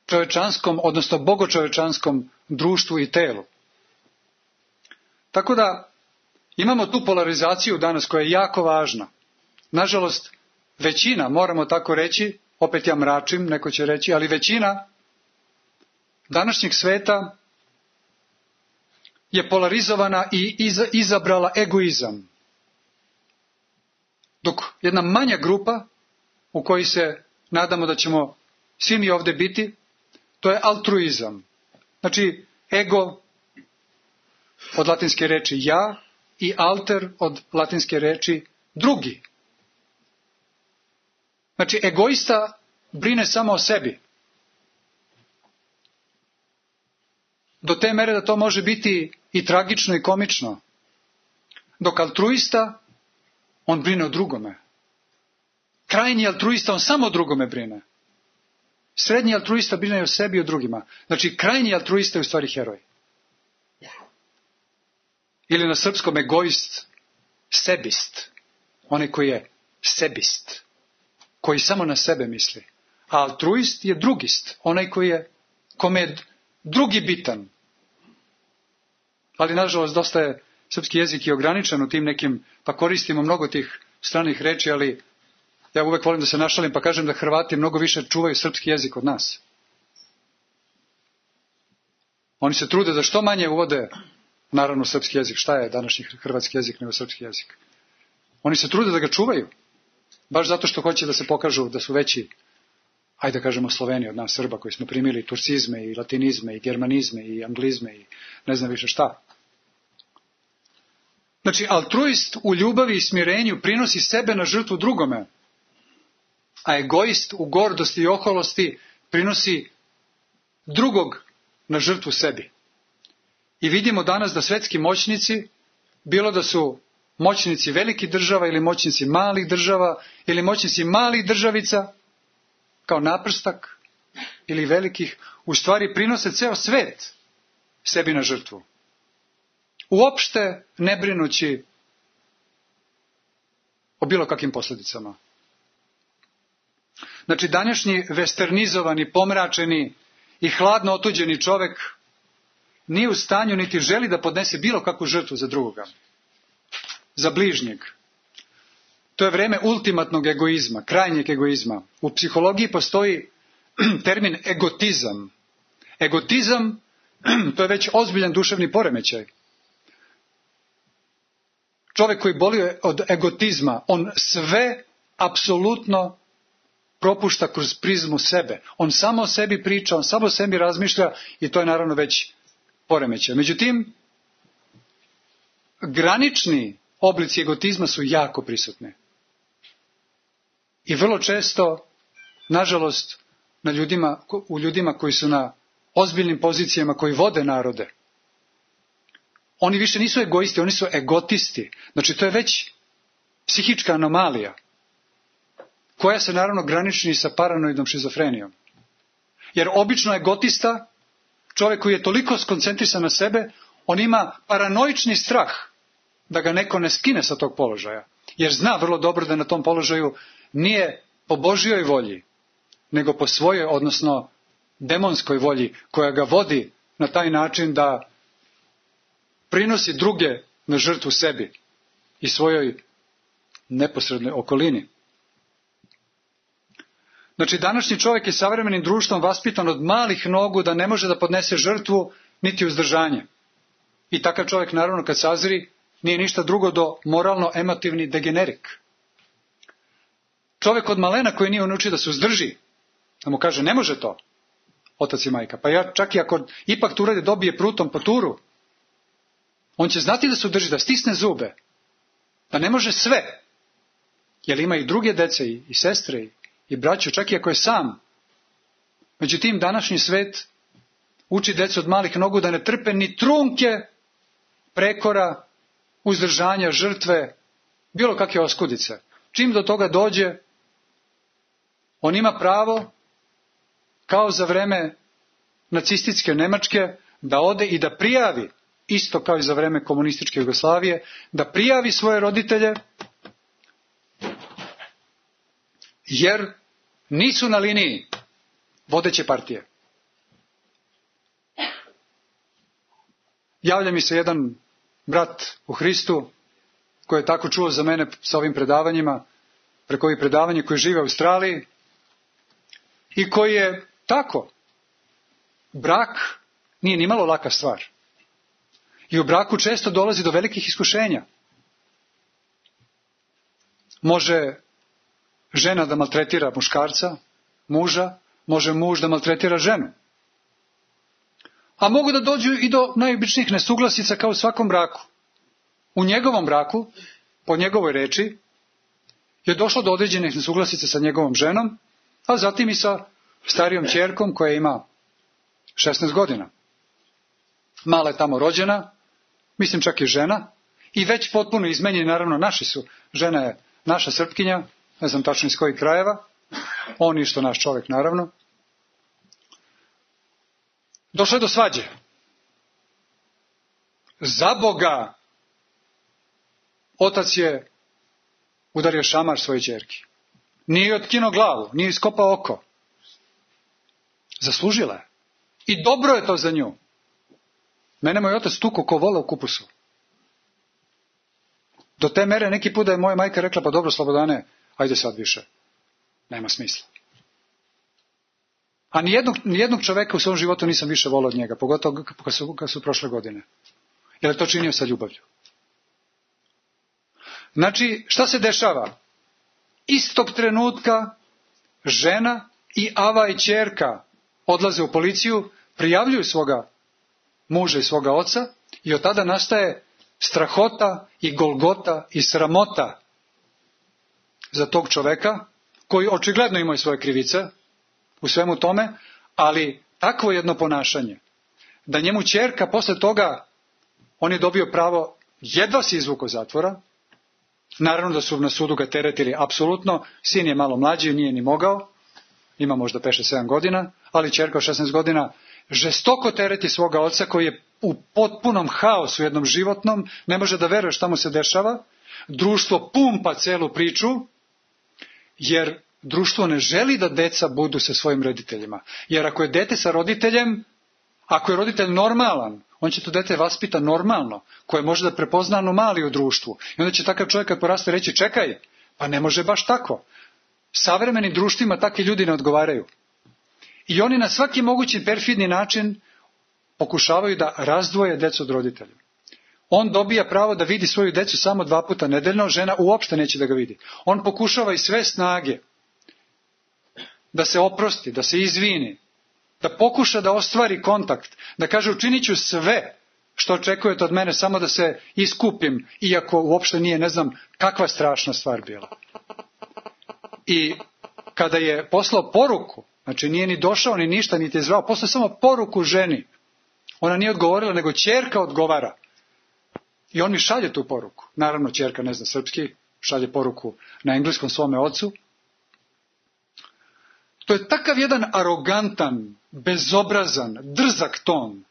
čovečanskom, odnosno bogočovečanskom društvu i telu. Tako da imamo tu polarizaciju danas koja je jako važna. Nažalost, većina, moramo tako reći, opet ja mračim, neko će reći, ali većina današnjeg sveta je polarizovana i izabrala egoizam. Dok jedna manja grupa, u kojoj se nadamo da ćemo svi mi ovdje biti, to je altruizam. Znači, ego od latinske reči ja i alter od latinske reči drugi. Znači, egoista brine samo o sebi. Do te mere da to može biti i tragično i komično. Dok altruista, on brine o drugome. Krajnji altruista, on samo o drugome brine. Srednji altruista brine o sebi i o drugima. Znači, krajnji altruista je u stvari heroj. Ili na srpskom egoist, sebist. Onaj koji je sebist. Koji samo na sebe misli. A altruist je drugist. Onaj koji je, kome je drugi bitan. Ali, nažalost, dosta je srpski jezik i ograničen u tim nekim, pa koristimo mnogo tih stranih reči, ali ja uvek volim da se našalim pa kažem da Hrvati mnogo više čuvaju srpski jezik od nas. Oni se trude da što manje uvode, naravno, srpski jezik. Šta je današnji hrvatski jezik nego srpski jezik? Oni se trude da ga čuvaju. Baš zato što hoće da se pokažu da su veći, ajde da kažemo, Sloveni od nas Srba, koji smo primili turcizme i latinizme i germanizme i anglizme i ne znam više šta. Znači, altruist u ljubavi i smirenju prinosi sebe na žrtvu drugome, a egoist u gordosti i oholosti prinosi drugog na žrtvu sebi. I vidimo danas da svetski moćnici, bilo da su moćnici velikih država ili moćnici malih država ili moćnici malih državica, kao naprstak ili velikih, u stvari prinose ceo svet sebi na žrtvu. Uopšte ne brinući o bilo kakvim posljedicama. Znači, današnji westernizovani, pomračeni i hladno otuđeni čovek nije u stanju niti želi da podnese bilo kakvu žrtvu za drugoga, za bližnjeg. To je vreme ultimatnog egoizma, krajnjeg egoizma. U psihologiji postoji termin egotizam. Egotizam, to je već ozbiljan duševni poremećaj. Čovjek koji boli od egotizma, on sve apsolutno propušta kroz prizmu sebe. On samo o sebi priča, on samo o sebi razmišlja i to je naravno već poremećaj. Međutim, granični oblici egotizma su jako prisutni. I vrlo često, nažalost, na ljudima, u ljudima koji su na ozbiljnim pozicijama, koji vode narode, oni više nisu egoisti, oni su egotisti. Znači, to je već psihička anomalija, koja se naravno graniči sa paranoidnom šizofrenijom. Jer obično egotista, čovjek koji je toliko skoncentrisan na sebe, on ima paranoični strah da ga neko ne skine sa tog položaja. Jer zna vrlo dobro da na tom položaju nije po Božjoj volji, nego po svojoj, odnosno demonskoj volji, koja ga vodi na taj način da prinosi druge na žrtvu sebi i svojoj neposrednoj okolini. Znači, današnji čovjek je savremenim društvom vaspitan od malih nogu da ne može da podnese žrtvu niti uzdržanje. I takav čovjek, naravno, kad sazri, nije ništa drugo do moralno-emotivni degenerik. Čovjek od malena koji nije naučio da se uzdrži, da mu kaže ne može to, otac i majka, pa ja čak i ako ipak tu uradi dobije prutom po turu, on će znati da se udrži, da stisne zube, da ne može sve, jer ima i druge dece i, i sestre i, i braću, čak i ako je sam. Međutim, današnji svet uči decu od malih nogu da ne trpe ni trunke prekora, uzdržanja, žrtve, bilo kakve oskudice. Čim do toga dođe, on ima pravo, kao za vreme nacističke Nemačke, da ode i da prijavi, isto kao i za vreme komunističke Jugoslavije, da prijavi svoje roditelje, jer nisu na liniji vodeće partije. Javlja mi se jedan brat u Hristu, koji je tako čuo za mene sa ovim predavanjima, preko ovih predavanja, koji žive u Australiji, i koji je tako, brak nije ni malo laka stvar. I u braku često dolazi do velikih iskušenja. Može žena da maltretira muškarca, muža, može muž da maltretira ženu. A mogu da dođu i do najobičnijih nesuglasica kao u svakom braku. U njegovom braku, po njegovoj reči, je došlo do određenih nesuglasica sa njegovom ženom, a zatim i sa starijom ćerkom koja ima šesnaest godina. Mala je tamo rođena, mislim čak i žena, i već potpuno izmenjeni, naravno naši su. Žena je naša Srpkinja, ne znam tačno iz kojih krajeva, on isto naš čovjek naravno. Došlo je do svađe. Za Boga, otac je udario šamar svoje ćerki. Nije otkinuo glavu, nije iskopao oko. Zaslužila je. I dobro je to za nju. Mene moj otac tuko ko vola u kupusu. Do te mere neki put da je moja majka rekla, pa dobro Slobodane, ajde sad više. Nema smisla. A nijednog, nijednog čoveka u svom životu nisam više volao od njega, pogotovo kad su, kad su prošle godine. Jer je to činio sa ljubavlju. Znači, šta se dešava? Istog trenutka žena i ava i ćerka odlaze u policiju, prijavljuju svoga muža i svoga oca i od tada nastaje strahota i golgota i sramota za tog čoveka koji očigledno ima i svoje krivice u svemu tome, ali takvo jedno ponašanje da njemu ćerka posle toga, on je dobio pravo, jedva se izvukao zatvora, naravno da su na sudu ga teretili apsolutno, sin je malo mlađi, nije ni mogao, ima možda pet šest sedam godina, ali ćerka od šesnaest godina žestoko tereti svoga oca koji je u potpunom haosu jednom životnom, ne može da veruje šta mu se dešava, društvo pumpa celu priču, jer društvo ne želi da deca budu sa svojim roditeljima. Jer ako je dete sa roditeljem, ako je roditelj normalan, on će to dete vaspita normalno, koje može da prepozna anomaliju u društvu. I onda će takav čovjek kad poraste reći, čekaj, pa ne može baš tako. Savremenim društvima takvi ljudi ne odgovaraju. I oni na svaki mogući perfidni način pokušavaju da razdvoje decu od roditelja. On dobija pravo da vidi svoju decu samo dva puta nedeljno, žena uopšte neće da ga vidi. On pokušava i sve snage da se oprosti, da se izvini, da pokuša da ostvari kontakt, da kaže učinit ću sve što očekujete od mene, samo da se iskupim, iako uopšte nije, ne znam, kakva strašna stvar bila. I kada je poslao poruku, znači nije ni došao ni ništa, niti je zvao, poslao samo poruku ženi. Ona nije odgovorila, nego ćerka odgovara. I on mi šalje tu poruku. Naravno, ćerka ne zna srpski, šalje poruku na engleskom svome ocu. To je takav jedan arogantan, bezobrazan, drzak ton,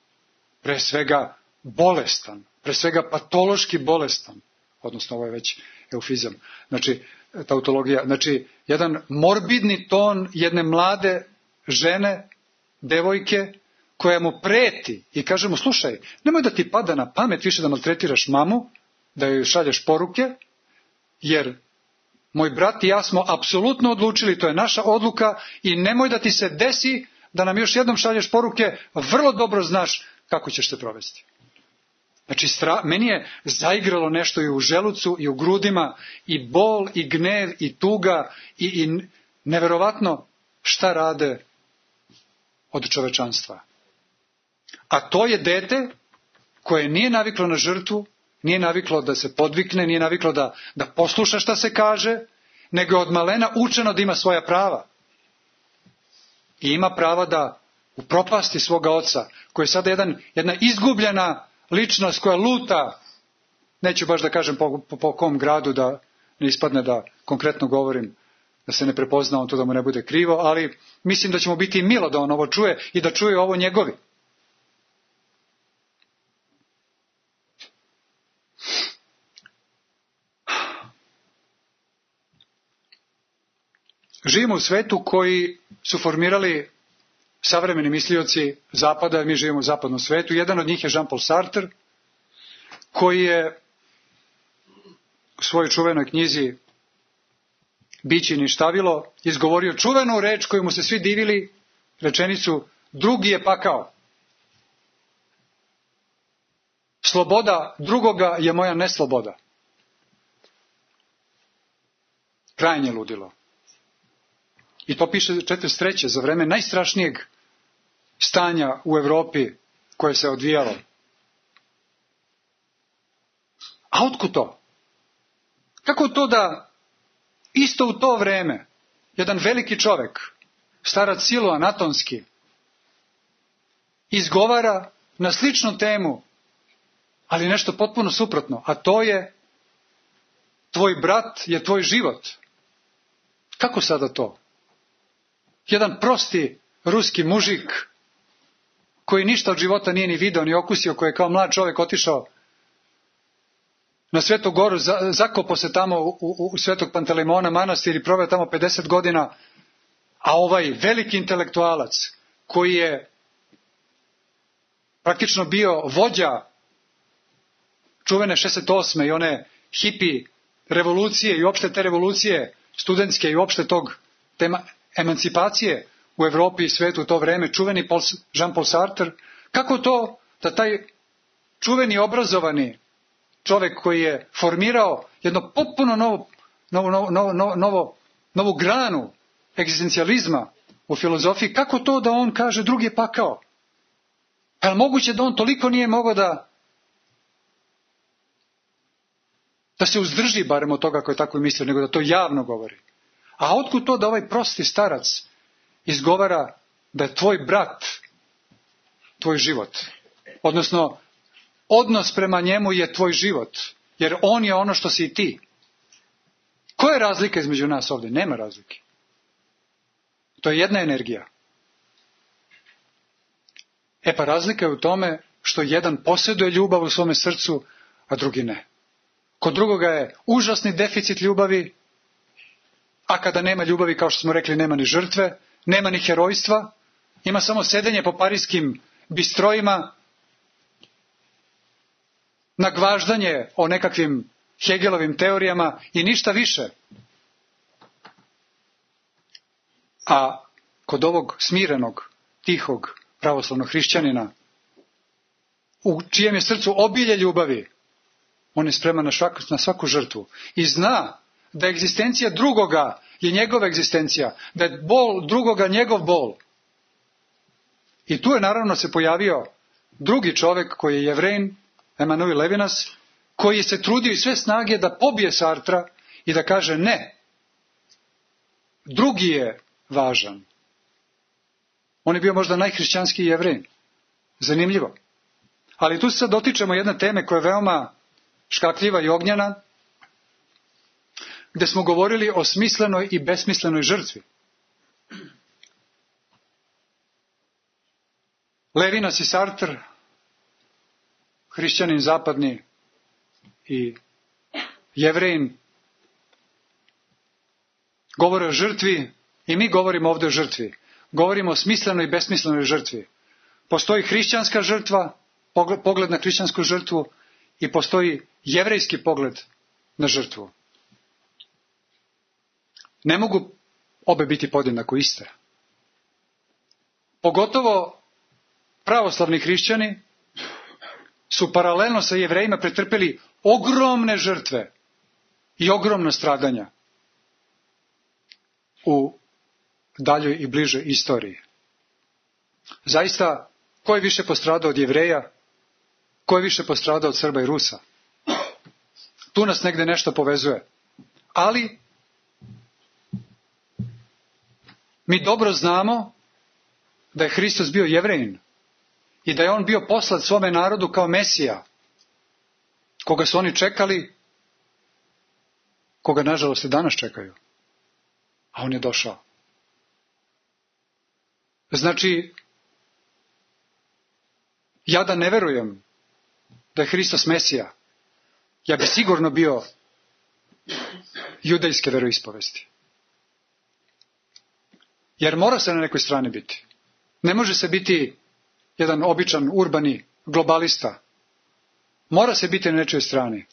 pre svega bolestan, pre svega patološki bolestan, odnosno ovo je već eufizam, znači tautologija, znači jedan morbidni ton jedne mlade žene, devojke, koja mu preti i kaže mu, slušaj, nemoj da ti pada na pamet više da maltretiraš mamu, da joj šalješ poruke, jer moj brat i ja smo apsolutno odlučili, to je naša odluka i nemoj da ti se desi da nam još jednom šalješ poruke, vrlo dobro znaš kako ćeš se provesti. Znači, stra... meni je zaigralo nešto i u želucu i u grudima, i bol, i gnev, i tuga, i, i neverovatno šta rade od čovečanstva. A to je dete koje nije naviklo na žrtvu, nije naviklo da se podvikne, nije naviklo da, da posluša šta se kaže, nego je od malena učeno da ima svoja prava. I ima prava da upropasti svoga oca, koji je sada jedan, jedna izgubljena ličnost koja luta, neću baš da kažem po, po, po kom gradu, da ne ispadne da konkretno govorim, da se ne prepozna on to, da mu ne bude krivo, ali mislim da će mu biti milo da on ovo čuje i da čuje ovo njegovi. Živimo u svetu koji su formirali savremeni mislioci zapada, mi živimo u zapadnom svetu. Jedan od njih je Jean-Paul Sartre, koji je u svojoj čuvenoj knjizi Biće i ništavilo izgovorio čuvenu reč koju mu se svi divili, rečenicu drugi je pakao. Sloboda drugoga je moja nesloboda. Krajnje ludilo. I to piše četrdeset treće za vreme najstrašnijeg stanja u Evropi koje se odvijalo. A otkud to? Kako to da isto u to vreme jedan veliki čovek, starac Siloan Atonski, izgovara na sličnu temu, ali nešto potpuno suprotno, a to je tvoj brat je tvoj život. Kako sada to? Jedan prosti ruski mužik koji ništa od života nije ni video ni okusio, koji je kao mlad čovjek otišao na Svetu Goru, zakopao se tamo u, u, u Svetog Pantelimona manastir i proveo tamo pedeset godina, a ovaj veliki intelektualac koji je praktično bio vođa čuvene šezdeset osme i one hipi revolucije i uopšte te revolucije studentske i uopšte tog tema emancipacije u Evropi i svetu u to vreme, čuveni Jean-Paul Sartre, kako to da taj čuveni obrazovani čovjek koji je formirao jedno potpuno novo, novo, novo, novo, novo, novu granu egzistencijalizma u filozofiji, kako to da on kaže drugi je pakao? Pa je moguće da on toliko nije mogao da da se uzdrži barem od toga koji je tako mislio, nego da to javno govori. A otkud to da ovaj prosti starac izgovara da je tvoj brat tvoj život? Odnosno, odnos prema njemu je tvoj život, jer on je ono što si i ti. Koja je razlika između nas ovdje? Nema razlike. To je jedna energija. E pa razlika je u tome što jedan posjeduje ljubav u svome srcu, a drugi ne. Kod drugoga je užasni deficit ljubavi, A kada nema ljubavi, kao što smo rekli, nema ni žrtve, nema ni herojstva, ima samo sedenje po parijskim bistrojima, nagvaždanje o nekakvim Hegelovim teorijama i ništa više. A kod ovog smirenog, tihog, pravoslavnog hrišćanina, u čijem je srcu obilje ljubavi, on je spreman na svaku, na svaku žrtvu i zna da egzistencija drugoga je njegova egzistencija, da je bol drugoga njegov bol. I tu je naravno se pojavio drugi čovjek koji je Jevrejin, Emanuel Levinas, koji se trudio i sve snage da pobije Sartra i da kaže ne, drugi je važan. On je bio možda najhrišćanskiji Jevrejin. Zanimljivo. Ali tu se sad dotičemo jedne teme koja je veoma škakljiva i ognjena, gde smo govorili o smislenoj i besmislenoj žrtvi. Levinas i Sartre, hrišćanin zapadni i Jevrejin, govore o žrtvi i mi govorimo ovdje o žrtvi. Govorimo o smislenoj i besmislenoj žrtvi. Postoji hrišćanska žrtva, pogled na hrišćansku žrtvu, i postoji jevrejski pogled na žrtvu. Ne mogu obe biti podjednako iste. Pogotovo pravoslavni hrišćani su paralelno sa Jevrejima pretrpeli ogromne žrtve i ogromna stradanja u daljoj i bližoj istoriji. Zaista, ko je više postradao od Jevreja? Ko je više postradao od Srba i Rusa? Tu nas negde nešto povezuje. Ali mi dobro znamo da je Hristos bio Jevrejin i da je on bio poslat svome narodu kao Mesija, koga su oni čekali, koga nažalost i danas čekaju. A on je došao. Znači, ja da ne verujem da je Hristos Mesija, ja bi sigurno bio judejske veroispovesti. Jer mora se na nekoj strani biti. Ne može se biti jedan običan urbani globalista. Mora se biti na nečijoj strani.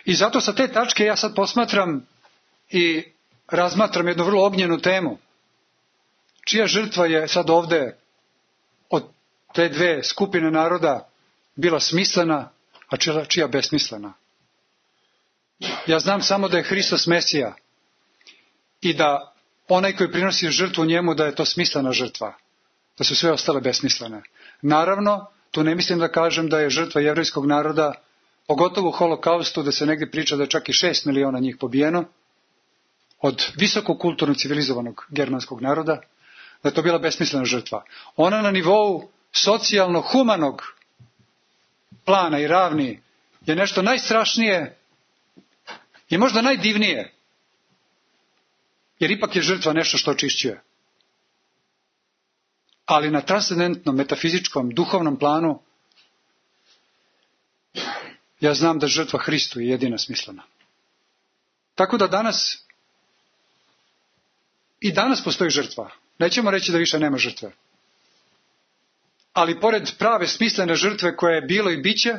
I zato sa te tačke ja sad posmatram i razmatram jednu vrlo ognjenu temu. Čija žrtva je sad ovde od te dve skupine naroda bila smislena, a čija, čija besmislena? Ja znam samo da je Hristos Mesija i da onaj koji prinosi žrtvu njemu, da je to smislena žrtva, da su sve ostale besmislene. Naravno, tu ne mislim da kažem da je žrtva jevrejskog naroda, pogotovo u holokaustu, da se negdje priča da je čak i šest miliona njih pobijeno, od visoko kulturno civilizovanog germanskog naroda, da je to bila besmislena žrtva. Ona na nivou socijalno-humanog plana i ravni je nešto najstrašnije i možda najdivnije, jer ipak je žrtva nešto što očišćuje. Ali na transcendentnom, metafizičkom, duhovnom planu ja znam da žrtva Hristu je jedina smislena. Tako da danas i danas postoji žrtva. Nećemo reći da više nema žrtve. Ali pored prave smislene žrtve koja je bilo i biće,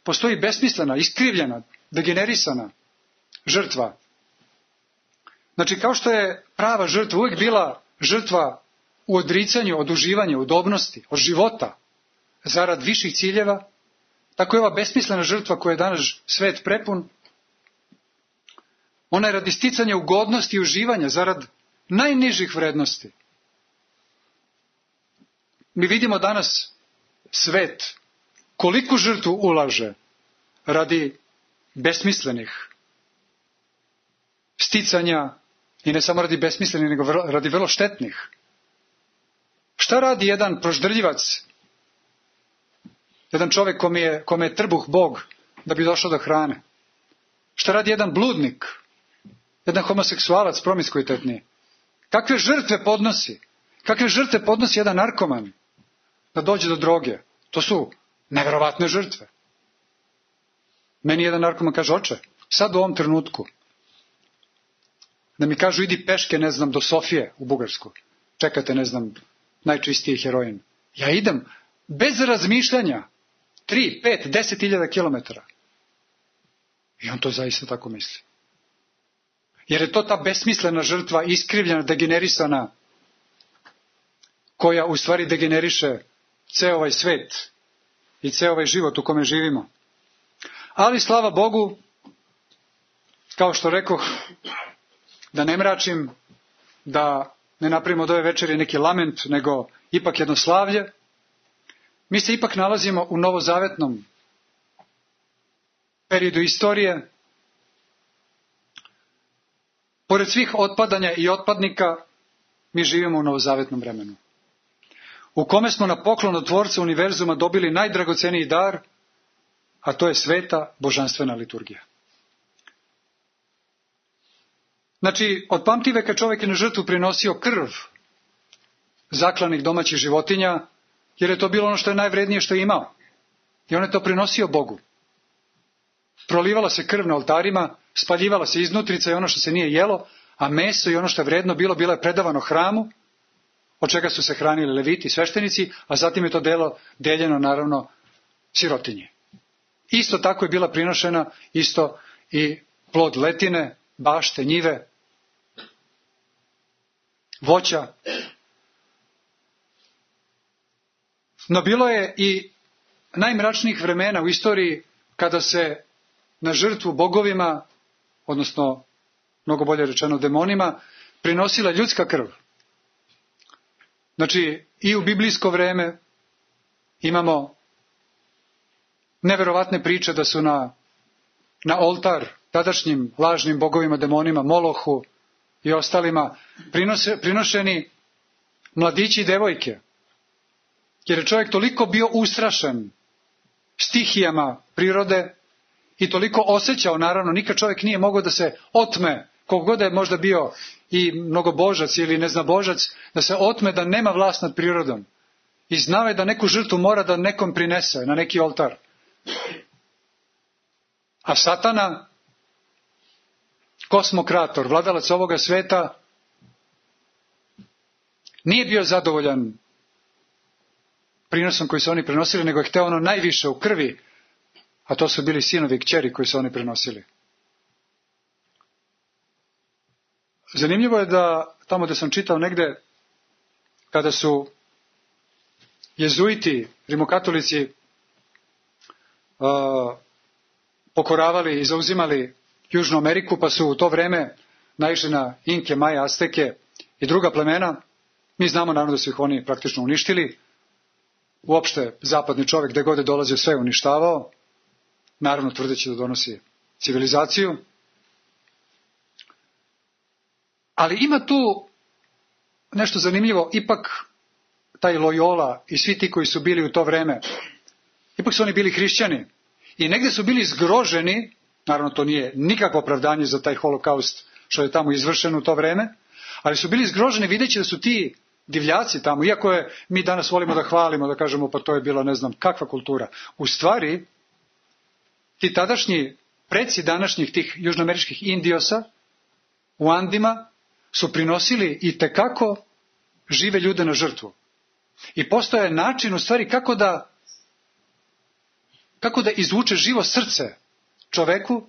postoji besmislena, iskrivljena, degenerisana žrtva. Znači, kao što je prava žrtva uvijek bila žrtva u odricanju, od uživanja, udobnosti, od života, zarad viših ciljeva, tako je ova besmislena žrtva koja je danas svet prepun, ona je radi sticanja ugodnosti i uživanja, zarad najnižih vrednosti. Mi vidimo danas svet koliku žrtvu ulaže radi besmislenih sticanja, i ne samo radi besmislenih, nego radi vrlo štetnih. Šta radi jedan proždrljivac, jedan čovjek kome je, kome je trbuh Bog da bi došao do hrane? Šta radi jedan bludnik, jedan homoseksualac promiskuitetni? Kakve žrtve podnosi? Kakve žrtve podnosi jedan narkoman da dođe do droge? To su neverovatne žrtve. Meni jedan narkoman kaže: oče, sad u ovom trenutku da mi kažu idi peške, ne znam, do Sofije u Bugarsku. Čekate, ne znam, najčistiji heroin. Ja idem bez razmišljanja. Tri, pet, deset hiljada kilometara. I on to zaista tako misli. Jer je to ta besmislena žrtva, iskrivljena, degenerisana, koja u stvari degeneriše ceo ovaj svet i ceo ovaj život u kome živimo. Ali slava Bogu, kao što rekoh, da ne mračim, da ne napravimo od ove večeri neki lament, nego ipak jedno slavlje, mi se ipak nalazimo u novozavetnom periodu istorije. Pored svih otpadanja i otpadnika, mi živimo u novozavetnom vremenu, u kome smo na poklon od Tvorca univerzuma dobili najdragoceniji dar, a to je sveta božanstvena liturgija. Znači, od pamtiveka čovjek je na žrtvu prinosio krv zaklanih domaćih životinja, jer je to bilo ono što je najvrednije što je imao. I on je to prinosio Bogu. Prolivala se krv na oltarima, spaljivala se iznutrica i ono što se nije jelo, a meso i ono što je vredno bilo, bilo je predavano hramu, od čega su se hranili leviti i sveštenici, a zatim je to delo deljeno naravno sirotinji. Isto tako je bila prinošena isto i plod letine, bašte, njive, voća. No bilo je i najmračnijih vremena u istoriji kada se na žrtvu bogovima, odnosno mnogo bolje rečeno demonima, prinosila ljudska krv. Znači i u biblijsko vreme imamo neverovatne priče da su na, na oltar tadašnjim lažnim bogovima, demonima, Molohu i ostalima prinose, prinošeni mladići i devojke. Jer je čovjek toliko bio ustrašen stihijama prirode i toliko osjećao, naravno, nikad čovjek nije mogao da se otme, koliko god je možda bio i mnogobožac ili neznabožac, da se otme da nema vlast nad prirodom. I znao je da neku žrtvu mora da nekom prinese na neki oltar. A Satana, kosmokrator, vladalac ovoga sveta, nije bio zadovoljan prinosom koji su oni prenosili, nego je hteo ono najviše u krvi, a to su bili sinovi i kćeri koji su oni prenosili. Zanimljivo je da tamo da sam čitao negde, kada su jezuiti, rimokatolici, uh, pokoravali i zauzimali Južnu Ameriku, pa su u to vreme naišli na Inke, Maje, Azteke i druga plemena. Mi znamo naravno da su ih oni praktično uništili. Uopšte zapadni čovjek gde god je dolazio sve uništavao, naravno tvrdeći da donosi civilizaciju. Ali ima tu nešto zanimljivo, ipak taj Loyola i svi ti koji su bili u to vreme, ipak su oni bili hrišćani i negdje su bili zgroženi, naravno to nije nikakvo opravdanje za taj holokaust što je tamo izvršen u to vreme, ali su bili zgroženi videći da su ti divljaci tamo, iako je mi danas volimo da hvalimo, da kažemo pa to je bila ne znam kakva kultura. U stvari, ti tadašnji preci današnjih tih južnoameričkih indiosa u Andima su prinosili i tekako žive ljude na žrtvu. I postoje način u stvari kako da kako da izvuče živo srce čoveku,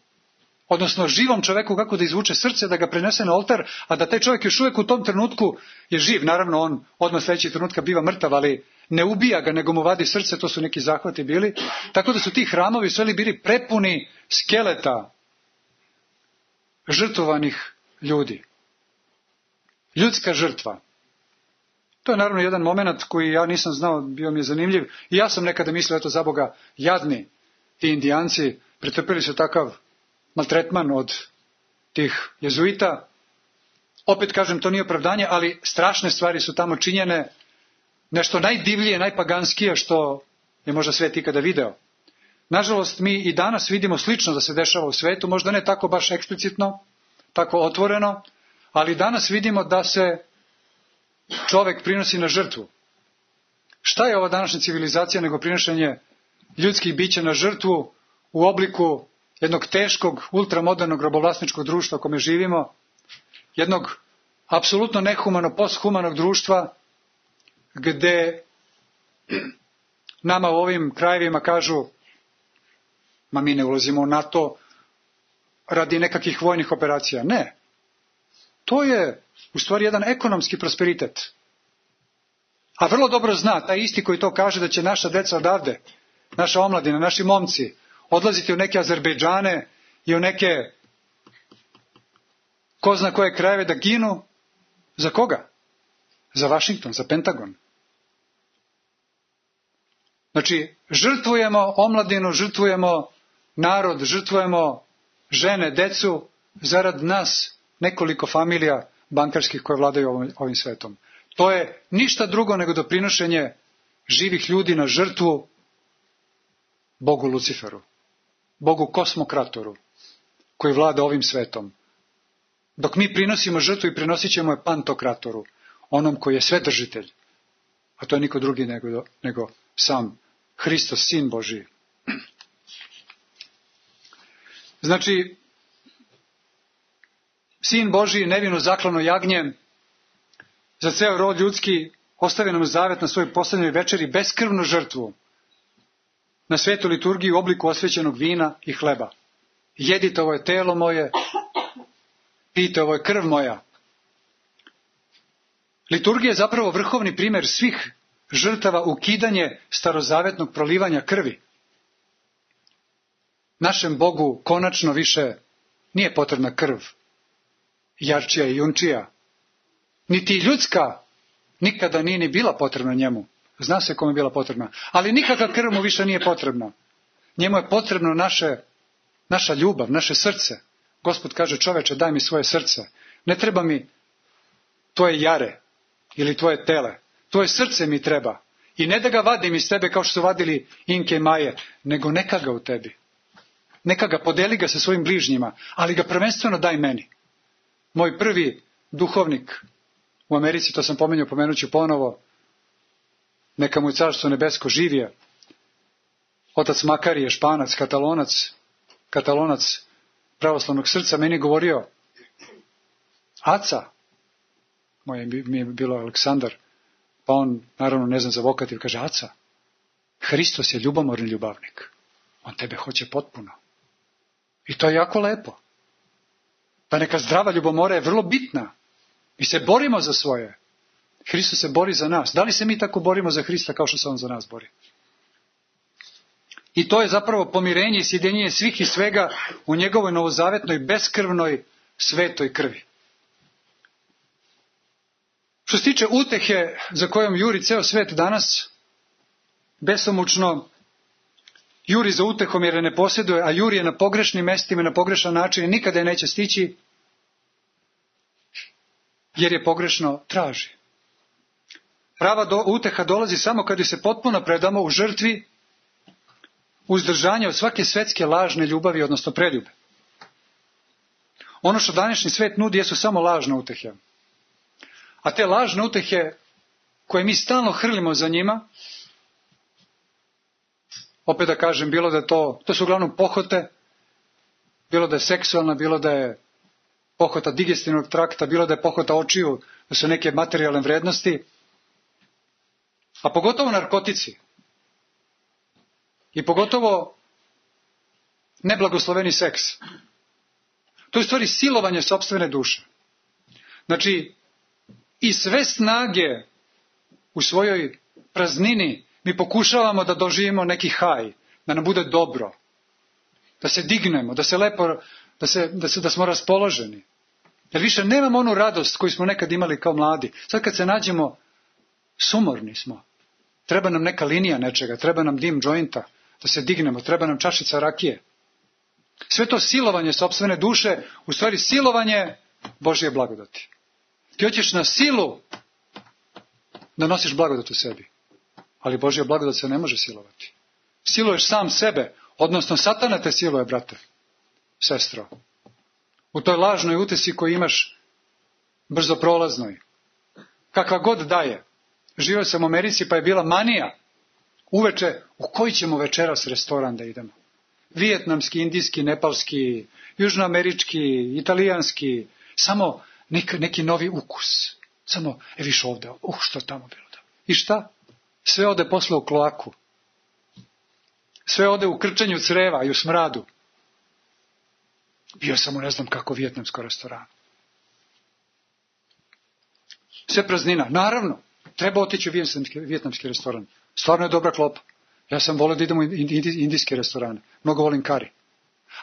odnosno živom čoveku kako da izvuče srce, da ga prenese na oltar, a da taj čovjek još uvijek u tom trenutku je živ. Naravno on odmah sljedećeg trenutka biva mrtav, ali ne ubija ga, nego mu vadi srce, to su neki zahvati bili. Tako da su ti hramovi sve bili prepuni skeleta žrtvovanih ljudi. Ljudska žrtva. To je naravno jedan moment koji ja nisam znao, bio mi je zanimljiv. I ja sam nekada mislio, eto za Boga, jadni ti indijanci, pretrpili su takav maltretman od tih jezuita. Opet kažem, to nije opravdanje, ali strašne stvari su tamo činjene. Nešto najdivljije, najpaganskije što je možda svet ikada video. Nažalost, mi i danas vidimo slično da se dešava u svetu, možda ne tako baš eksplicitno, tako otvoreno, ali danas vidimo da se čovek prinosi na žrtvu. Šta je ova današnja civilizacija nego prinošenje ljudskih bića na žrtvu u obliku jednog teškog, ultramodernog robovlasničkog društva u kome živimo, jednog apsolutno nehumano, posthumanog društva, gde nama u ovim krajevima kažu, ma mi ne ulazimo u NATO radi nekakvih vojnih operacija. Ne. To je u stvari jedan ekonomski prosperitet. A vrlo dobro zna, taj isti koji to kaže, da će naša deca odavde, naša omladina, naši momci, odlaziti u neke Azerbejdžane i u neke ko zna koje krajeve da ginu. Za koga? Za Vašington, za Pentagon. Znači, žrtvujemo omladinu, žrtvujemo narod, žrtvujemo žene, decu, zarad nas nekoliko familija bankarskih koje vladaju ovim, ovim svetom. To je ništa drugo nego doprinošenje živih ljudi na žrtvu Bogu Luciferu, Bogu Kosmokratoru, koji vlada ovim svetom. Dok mi prinosimo žrtvu i prinosit ćemo je Pantokratoru, onom koji je svedržitelj, a to je niko drugi nego, nego sam Hristos, Sin Božiji. Znači, Sin Božiji, nevino zaklano jagnje, za ceo rod ljudski ostavi nam zavet na svojoj poslednjoj večeri beskrvnu žrtvu na svetu liturgiji u obliku osvećenog vina i hleba. Jedite, ovo je telo moje, pijte, ovo je krv moja. Liturgija je zapravo vrhovni primjer svih žrtava, ukidanje starozavetnog prolivanja krvi. Našem Bogu konačno više nije potrebna krv, jarčija i junčija. Niti ljudska nikada nije ni bila potrebna njemu. Zna se kome je bila potrebna. Ali nikakva krv mu više nije potrebna. Njemu je potrebno naše, naša ljubav, naše srce. Gospod kaže, čoveče, daj mi svoje srce. Ne treba mi tvoje jare ili tvoje tele. Tvoje srce mi treba. I ne da ga vadim iz tebe kao što su vadili Inke i Maje, nego neka ga u tebi. Neka ga, podeli ga sa svojim bližnjima, ali ga prvenstveno daj meni. Moj prvi duhovnik u Americi, to sam pomenuo, pomenuću ponovo, neka mu je carstvo nebesko, živje. Otac Makarije, Španac, Katalonac, Katalonac pravoslavnog srca, meni je govorio, Aca, moje mi je bilo Aleksandar, pa on, naravno, ne znam za vokativ, kaže, Aca, Hristos je ljubomorni ljubavnik. On tebe hoće potpuno. I to je jako lepo. Ta neka zdrava ljubomora je vrlo bitna. Mi se borimo za svoje. Hristos se bori za nas. Da li se mi tako borimo za Hrista kao što se on za nas bori? I to je zapravo pomirenje i sjedinjenje svih i svega u njegovoj novozavetnoj, beskrvnoj, svetoj krvi. Što se tiče utehe za kojom juri ceo svet danas, besomučno juri za utehom jer je ne posjeduje, a juri je na pogrešnim mestima, na pogrešan način i nikada je neće stići, jer je pogrešno traži. Prava do, uteha dolazi samo kad se potpuno predamo u žrtvi uzdržanja od svake svetske lažne ljubavi, odnosno preljube. Ono što današnji svet nudi jesu samo lažne utehe. A te lažne utehe koje mi stalno hrlimo za njima, opet da kažem, bilo da je to, to su uglavnom pohote, bilo da je seksualna, bilo da je pohota digestivnog trakta, bilo da je pohota očiju, da su neke materijalne vrednosti, a pogotovo narkotici. I pogotovo neblagosloveni seks. To je u stvari silovanje sopstvene duše. Znači, i sve snage u svojoj praznini mi pokušavamo da doživimo neki haj, da nam bude dobro, da se dignemo, da se lepo, da, se, da, se, da smo raspoloženi. Jer više nemamo onu radost koju smo nekad imali kao mladi. Sad kad se nađemo, sumorni smo. Treba nam neka linija nečega, treba nam dim džointa, da se dignemo, treba nam čašica rakije. Sve to silovanje sopstvene duše, u stvari silovanje Božje blagodati. Ti hoćeš na silu da nosiš blagodat u sebi. Ali Božja blagodat se ne može silovati. Siluješ sam sebe, odnosno Satana te siluje, brate, sestro. U toj lažnoj utesi koju imaš brzo prolaznoj. Kakva god daje. Živio sam u Americi pa je bila manija. Uveče, u koji ćemo večeras restoran da idemo? Vijetnamski, indijski, nepalski, južnoamerički, italijanski. Samo Nek, neki novi ukus. Samo, e viš ovde, uh, što je tamo bilo. I šta? Sve ode posle u kloaku. Sve ode u krčenju creva i u smradu. Bio sam u ne znam kako vijetnamsko restoranu. Sve praznina. Naravno, treba otići u vijetnamski, vijetnamski restoran. Stvarno je dobra klopa. Ja sam volio da idem u indijske restorane. Mnogo volim kari.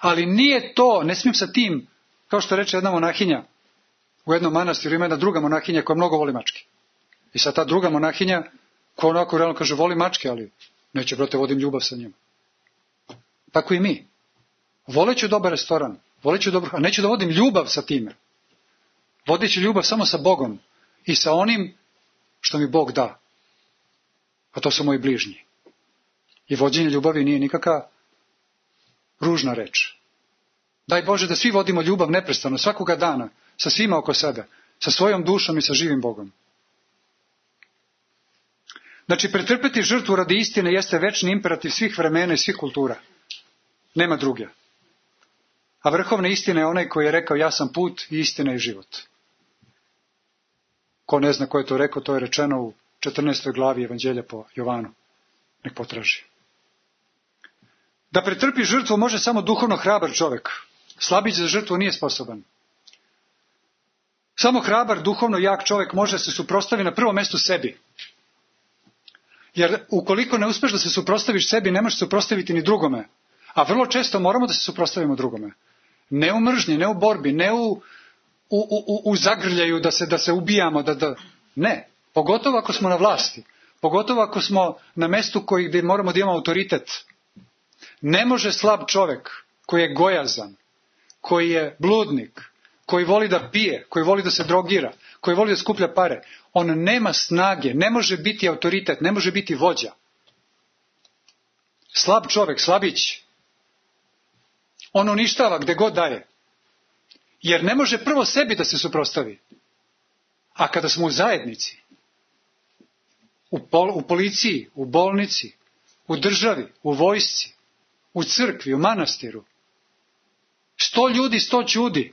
Ali nije to, ne smijem sa tim, kao što reče jedna monahinja, u jednom manastiru ima jedna druga monahinja koja mnogo voli mačke. I sad ta druga monahinja, koja onako realno kaže, voli mačke, ali neće, brate, vodim ljubav sa njima. Tako i mi. Voleću dobar restoran, voleću dobro, a neću da vodim ljubav sa time. Vodit ću ljubav samo sa Bogom i sa onim što mi Bog da. A to su moji bližnji. I vođenje ljubavi nije nikakva ružna reč. Daj Bože da svi vodimo ljubav neprestano, svakoga dana, sa svima oko sebe, sa svojom dušom i sa živim Bogom. Znači, pretrpeti žrtvu radi istine jeste večni imperativ svih vremena i svih kultura. Nema druge. A vrhovna istina je onaj koji je rekao, ja sam put i istina i život. Ko ne zna ko je to rekao, to je rečeno u četrnaestoj glavi Evanđelja po Jovanu. Nek potraži. Da pretrpi žrtvu može samo duhovno hrabar čovjek. Slabić za žrtvu nije sposoban. Samo hrabar, duhovno jak čovjek može se suprotstaviti na prvom mjestu sebi. Jer ukoliko ne uspeš da se suprotstaviš sebi, ne možeš se suprotstaviti ni drugome. A vrlo često moramo da se suprotstavimo drugome. Ne u mržnji, ne u borbi, ne u, u, u, u zagrljaju da se, da se ubijamo. Da, da... Ne, pogotovo ako smo na vlasti. Pogotovo ako smo na mestu koji, gdje moramo da imamo autoritet. Ne može slab čovjek koji je gojazan, koji je bludnik, koji voli da pije, koji voli da se drogira, koji voli da skuplja pare, on nema snage, ne može biti autoritet, ne može biti vođa. Slab čovjek, slabić, on uništava gde god daje. Jer ne može prvo sebi da se suprotstavi. A kada smo u zajednici, u, pol, u policiji, u bolnici, u državi, u vojsci, u crkvi, u manastiru, sto ljudi, sto čudi,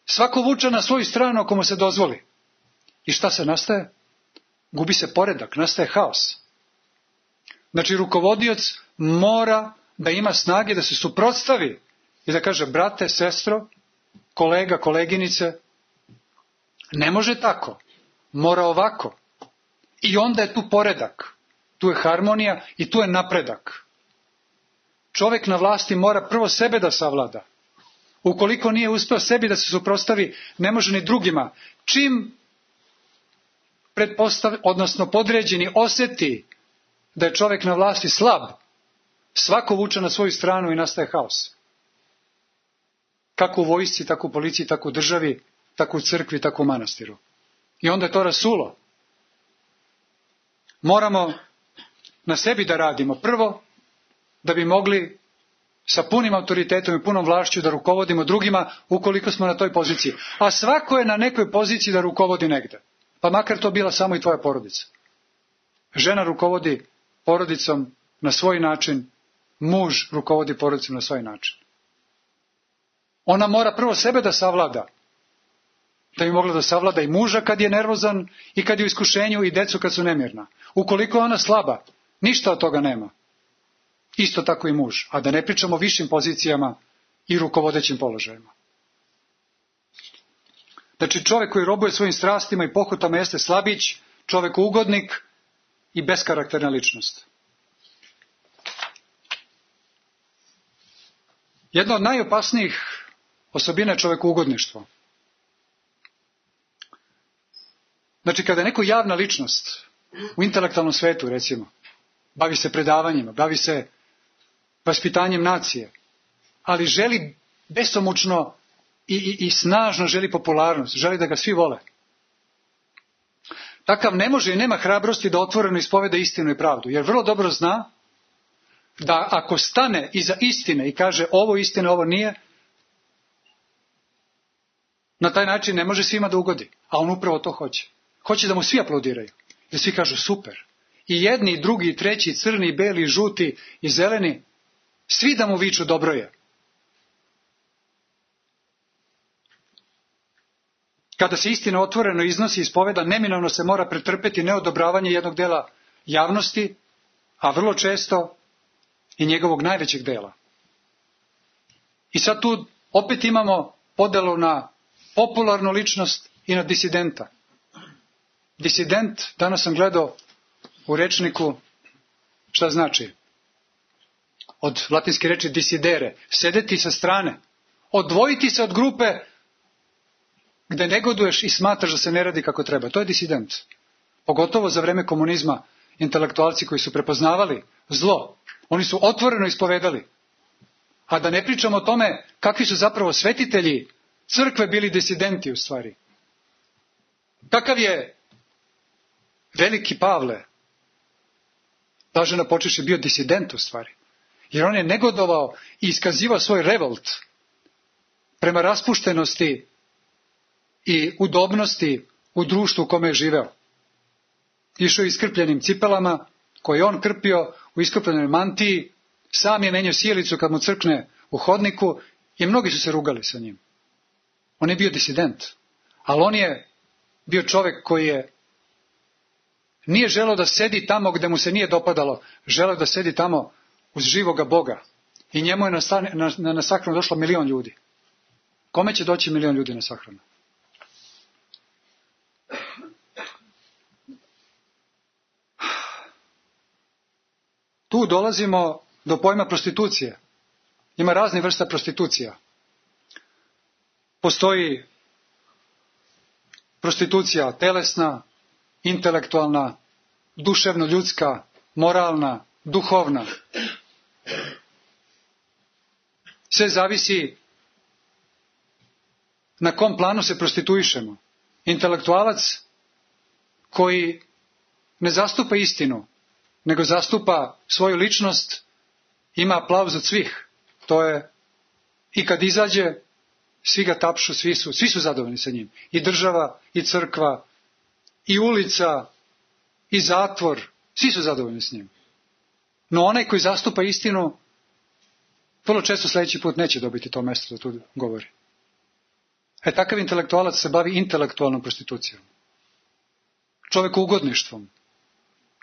svako vuče na svoju stranu ako mu se dozvoli. I šta se nastaje? Gubi se poredak, nastaje haos. Znači, rukovodioc mora da ima snage da se suprotstavi i da kaže, brate, sestro, kolega, koleginice, ne može tako, mora ovako. I onda je tu poredak, tu je harmonija i tu je napredak. Čovjek na vlasti mora prvo sebe da savlada. Ukoliko nije uspeo sebi da se suprotstavi, ne može ni drugima. Čim pretpostav, odnosno podređeni osjeti da je čovjek na vlasti slab, svako vuče na svoju stranu i nastaje haos. Kako u vojsci, tako u policiji, tako u državi, tako u crkvi, tako u manastiru. I onda je to rasulo. Moramo na sebi da radimo. Prvo, da bi mogli sa punim autoritetom i punom vlašću da rukovodimo drugima ukoliko smo na toj poziciji. A svako je na nekoj poziciji da rukovodi negde. Pa makar to bila samo i tvoja porodica. Žena rukovodi porodicom na svoj način, muž rukovodi porodicom na svoj način. Ona mora prvo sebe da savlada. Da bi mogla da savlada i muža kad je nervozan i kad je u iskušenju i decu kad su nemirna. Ukoliko je ona slaba, ništa od toga nema. Isto tako i muž. A da ne pričamo o višim pozicijama i rukovodećim položajima. Znači, čovjek koji robuje svojim strastima i pohotama jeste slabić, čovjek ugodnik i beskarakterna ličnost. Jedna od najopasnijih osobina je čovjekougodništvo. Znači, kada je neko javna ličnost u intelektualnom svetu, recimo, bavi se predavanjima, bavi se vaspitanjem nacije, ali želi besomučno i, i, i snažno želi popularnost, želi da ga svi vole. Takav ne može i nema hrabrosti da otvoreno ispoveda istinu i pravdu, jer vrlo dobro zna da ako stane iza istine i kaže ovo istina, ovo nije, na taj način ne može svima da ugodi, a on upravo to hoće. Hoće da mu svi aplaudiraju, da svi kažu super. I jedni, i drugi, i treći, i crni, i beli, i žuti, i zeleni, svi da mu viču dobro je. kada se istina otvoreno iznosi i ispoveda, neminovno se mora pretrpeti neodobravanje jednog dela javnosti, a vrlo često i njegovog najvećeg dela. I sad tu opet imamo podelu na popularnu ličnost i na disidenta. Disident, danas sam gledao u rečniku šta znači. Od latinske reči disidere, sedeti sa strane, odvojiti se od grupe gde negoduješ i smatraš da se ne radi kako treba. To je disident. Pogotovo za vreme komunizma, intelektualci koji su prepoznavali zlo, oni su otvoreno ispovedali. A da ne pričamo o tome kakvi su zapravo svetitelji crkve bili disidenti u stvari. Kakav je veliki Pavle, blaženo počeši, bio disident u stvari. Jer on je negodovao i iskazivao svoj revolt prema raspuštenosti i udobnosti u društvu u kome je živeo. Išao je iskrpljenim cipelama, koje je on krpio u iskrpljenoj mantiji, sam je menjao sjelicu kad mu crkne u hodniku i mnogi su se rugali sa njim. On je bio disident, ali on je bio čovek koji je nije želeo da sedi tamo gde mu se nije dopadalo, želeo da sedi tamo uz živoga Boga. I njemu je na, na, na, na sahranu došlo milion ljudi. Kome će doći milion ljudi na sahranu? Tu dolazimo do pojma prostitucije. Ima razne vrsta prostitucija. Postoji prostitucija telesna, intelektualna, duševno-ljudska, moralna, duhovna. Sve zavisi na kom planu se prostituišemo. Intelektualac koji ne zastupa istinu, nego zastupa svoju ličnost, ima aplauz od svih. To je, i kad izađe, svi ga tapšu, svi su, svi su zadovoljni sa njim. I država, i crkva, i ulica, i zatvor, svi su zadovoljni s njim. No onaj koji zastupa istinu, vrlo često sljedeći put neće dobiti to mesto da tu govori. E takav intelektualac se bavi intelektualnom prostitucijom. Čovekuugodništvom.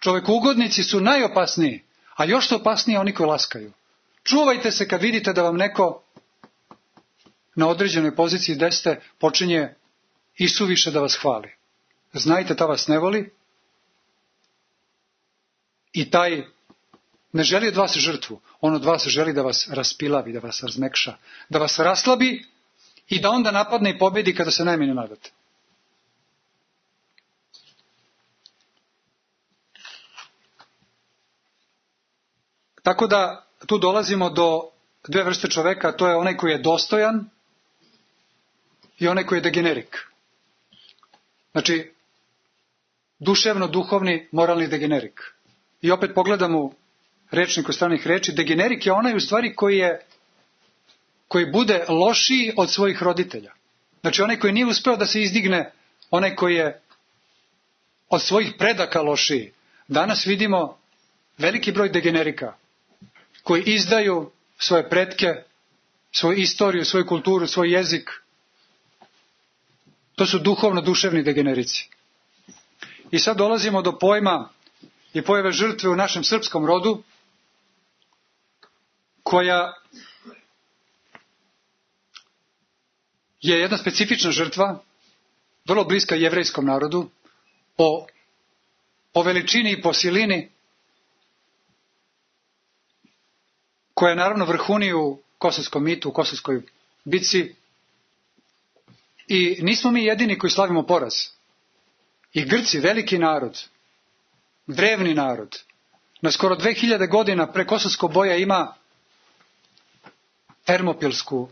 Čovekuugodnici su najopasniji, a još su opasniji oni koji laskaju. Čuvajte se kad vidite da vam neko na određenoj poziciji gde ste počinje isuviše da vas hvali. Znajte, ta vas ne voli i taj ne želi od vas žrtvu. On od vas želi da vas raspilavi, da vas razmekša, da vas raslabi i da onda napadne i pobedi kada se najmanje nadate. Tako da tu dolazimo do dve vrste čoveka, to je onaj koji je dostojan i onaj koji je degenerik. Znači, duševno, duhovni, moralni degenerik. I opet pogledam u rečniku stranih reči, degenerik je onaj u stvari koji je, koji bude lošiji od svojih roditelja. Znači, onaj koji nije uspeo da se izdigne, onaj koji je od svojih predaka lošiji. Danas vidimo veliki broj degenerika koji izdaju svoje pretke, svoju istoriju, svoju kulturu, svoj jezik. To su duhovno-duševni degenerici. I sad dolazimo do pojma i pojave žrtve u našem srpskom rodu, koja je jedna specifična žrtva, vrlo bliska jevrejskom narodu, po, po veličini i po silini, koja je naravno vrhuni u Kosovskom mitu, u Kosovskoj bitci. I nismo mi jedini koji slavimo poraz. I Grci, veliki narod, drevni narod, na skoro dve hiljade godina pre Kosovskog boja ima Termopilsku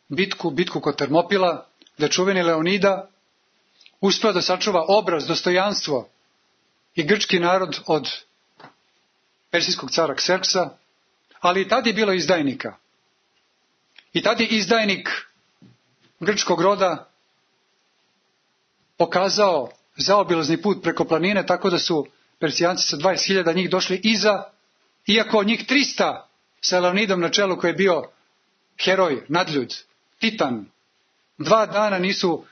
bitku, bitku kod Termopila, da čuveni Leonida uspeo da sačuva obraz, dostojanstvo i grčki narod od persijskog cara Kserksa, ali i tad je bilo izdajnika. I tad je izdajnik grčkog roda pokazao zaobilazni put preko planine, tako da su Persijanci sa dvadeset hiljada njih došli iza, iako njih trista sa Leonidom na čelu koji je bio heroj, nadljud, titan. Dva dana nisu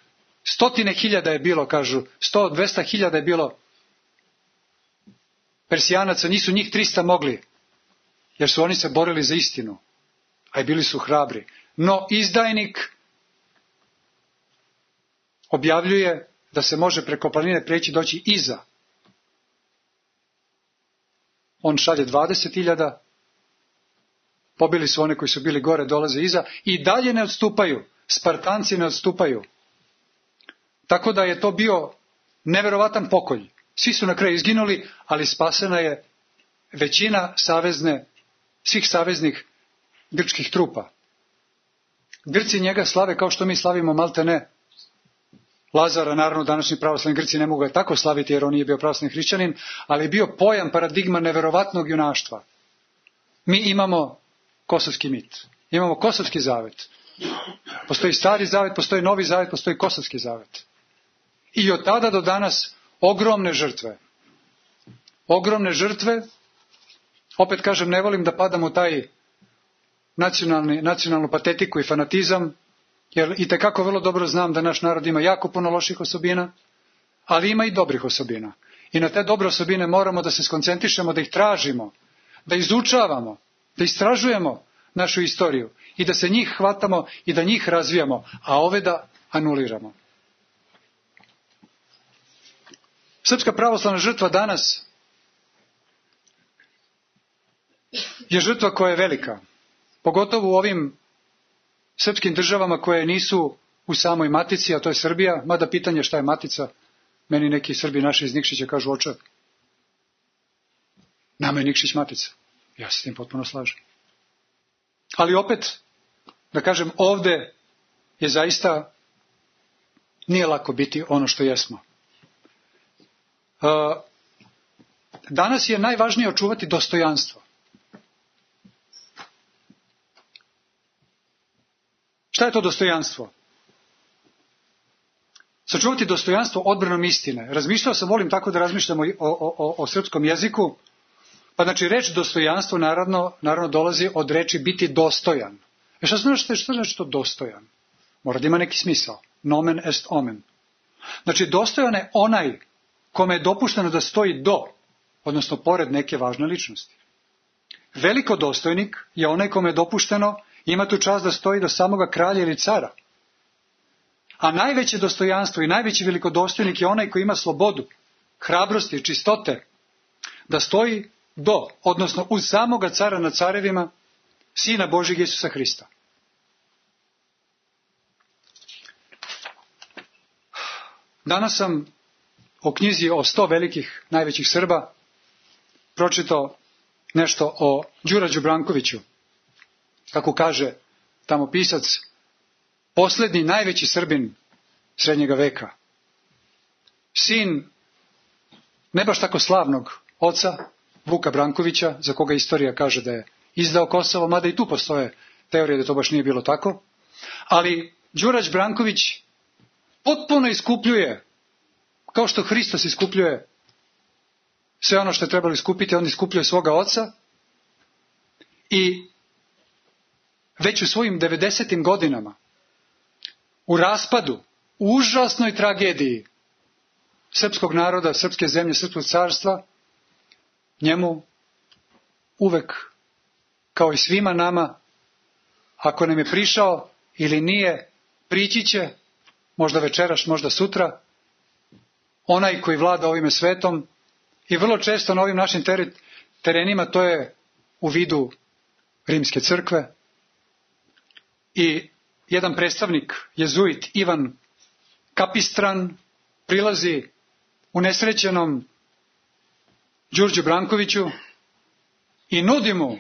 Stotine hiljada je bilo, kažu, sto, dvesta hiljada je bilo Persijanaca, nisu njih trista mogli, jer su oni se borili za istinu, a i bili su hrabri. No izdajnik objavljuje da se može preko planine preći doći iza. On šalje dvadeset hiljada, pobili su one koji su bili gore, dolaze iza i dalje ne odstupaju. Spartanci ne odstupaju. Tako da je to bio neverovatan pokolj. Svi su na kraju izginuli, ali spasena je većina savezne, svih saveznih grčkih trupa. Grci njega slave kao što mi slavimo malte ne Lazara, naravno današnji pravoslavni Grci ne mogu ga tako slaviti jer on nije bio pravoslavni hrišćanin, ali je bio pojam, paradigma neverovatnog junaštva. Mi imamo kosovski mit, imamo kosovski zavet. Postoji stari zavet, postoji novi zavet, postoji kosovski zavet. I od tada do danas ogromne žrtve. Ogromne žrtve, opet kažem, ne volim da padam u taj nacionalni, nacionalnu patetiku i fanatizam, jer i tekako vrlo dobro znam da naš narod ima jako puno loših osobina, ali ima i dobrih osobina. I na te dobre osobine moramo da se skoncentrišemo, da ih tražimo, da izučavamo, da istražujemo našu istoriju i da se njih hvatamo i da njih razvijamo, a ove da anuliramo. Srpska pravoslavna žrtva danas je žrtva koja je velika, pogotovo u ovim srpskim državama koje nisu u samoj matici, a to je Srbija, mada pitanje šta je matica, meni neki Srbi naši iz Nikšića kažu oče, nama je Nikšić matica. Ja se s tim potpuno slažem. Ali opet, da kažem, ovde je zaista, nije lako biti ono što jesmo. Danas je najvažnije očuvati dostojanstvo. Šta je to dostojanstvo? Sačuvati dostojanstvo odbranom istine. Razmišljao sam, volim tako da razmišljamo o, o, o, o srpskom jeziku. Pa znači reč dostojanstvo naravno, naravno dolazi od reči biti dostojan. E šta znači, šta znači to dostojan? Mora da ima neki smisao. Nomen est omen. Znači dostojan je onaj kome je dopušteno da stoji do, odnosno pored neke važne ličnosti. Velikodostojnik je onaj kome je dopušteno, ima tu čast da stoji do samoga kralja ili cara. A najveće dostojanstvo i najveći velikodostojnik je onaj koji ima slobodu, hrabrosti i čistote da stoji do, odnosno uz samoga cara nad carevima, Sina Božjeg Isusa Hrista. Danas sam o knjizi o sto velikih najvećih Srba pročitao nešto o Đurađu Brankoviću. Kako kaže tamo pisac, poslednji najveći Srbin srednjega veka. Sin ne baš tako slavnog oca, Vuka Brankovića, za koga istorija kaže da je izdao Kosovo, mada i tu postoje teorije da to baš nije bilo tako. Ali Đurađ Branković potpuno iskupljuje, kao što Hristos iskupljuje sve ono što je trebalo iskupiti, on iskupljuje svoga oca i već u svojim devedesetim godinama, u raspadu, u užasnoj tragediji srpskog naroda, srpske zemlje, srpskog carstva, njemu uvek, kao i svima nama, ako nam je prišao ili nije, prići će, možda večeraš, možda sutra, onaj koji vlada ovime svetom i vrlo često na ovim našim terenima to je u vidu Rimske crkve. I jedan predstavnik, jezuit Ivan Kapistran, prilazi unesrećenom Đurđu Brankoviću i nudi mu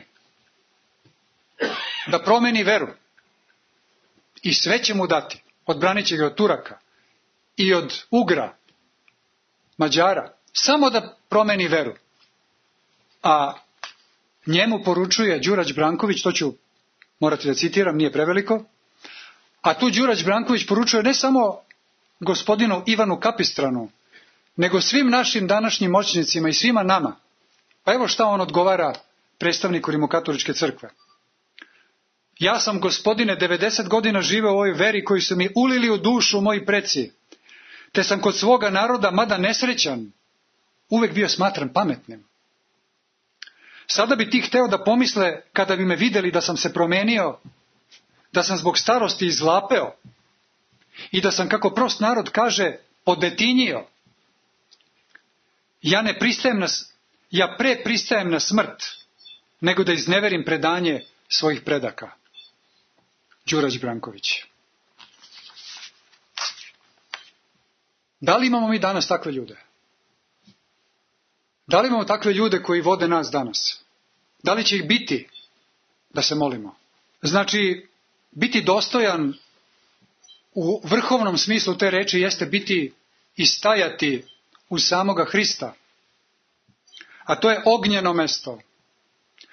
da promeni veru. I sve će mu dati. Odbranit će ga od Turaka i od Ugra, Mađara, samo da promeni veru. A njemu poručuje Đurađ Branković, to ću morati da citiram, nije preveliko, a tu Đurađ Branković poručuje ne samo gospodinu Ivanu Kapistranu, nego svim našim današnjim moćnicima i svima nama. Pa evo šta on odgovara predstavniku Rimokatoličke crkve. Ja sam, gospodine, devedeset godina živeo u ovoj veri koju su mi ulili u dušu moji preci. te sam kod svoga naroda, mada nesrećan, uvek bio smatran pametnim. Sada bi ti hteo da pomisle, kada bi me videli da sam se promenio, da sam zbog starosti izlapeo i da sam, kako prost narod kaže, podetinjio. Ja ne pristajem na, ja pre pristajem na smrt, nego da izneverim predanje svojih predaka. Đurađ Branković. Da li imamo mi danas takve ljude? Da li imamo takve ljude koji vode nas danas? Da li će ih biti? Da se molimo. Znači, biti dostojan u vrhovnom smislu te reči jeste biti i stajati u samoga Hrista. A to je ognjeno mesto.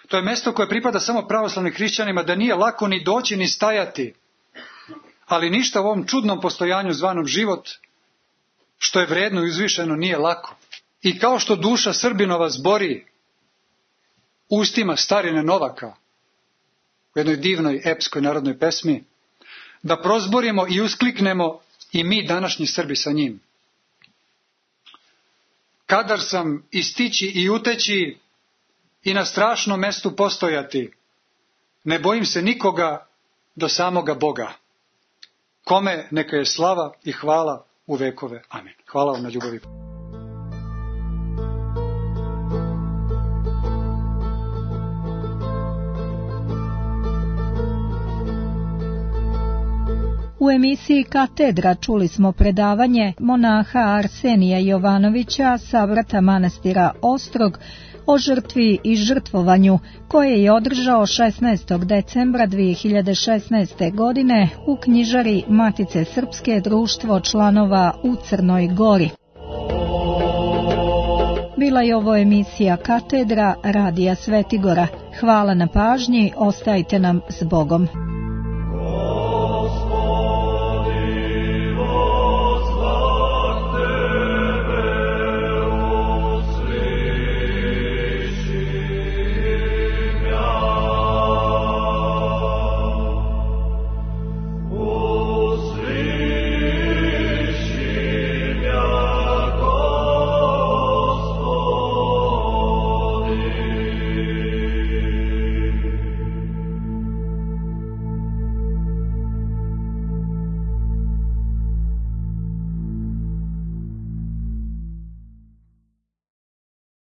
To je mesto koje pripada samo pravoslavnim hrišćanima, da nije lako ni doći ni stajati. Ali ništa u ovom čudnom postojanju zvanom život, što je vredno i uzvišeno, nije lako. I kao što duša Srbinova zbori ustima starine Novaka u jednoj divnoj epskoj narodnoj pesmi, da prozborimo i uskliknemo i mi današnji Srbi sa njim. Kadar sam i stići i uteći i na strašnom mestu postojati, ne bojim se nikoga do samoga Boga. Kome neka je slava i hvala u vekove. Amen. Hvala vam na ljubavi. U emisiji Katedra čuli smo predavanje monaha Arsenija Jovanovića sa vrata manastira Ostrog o žrtvi i žrtvovanju, koje je održao šesnaestog decembra dve hiljade šesnaeste. godine u knjižari Matice Srpske, društvo članova u Crnoj Gori. Bila je ovo emisija Katedra Radija Svetigora. Hvala na pažnji, ostajte nam s Bogom.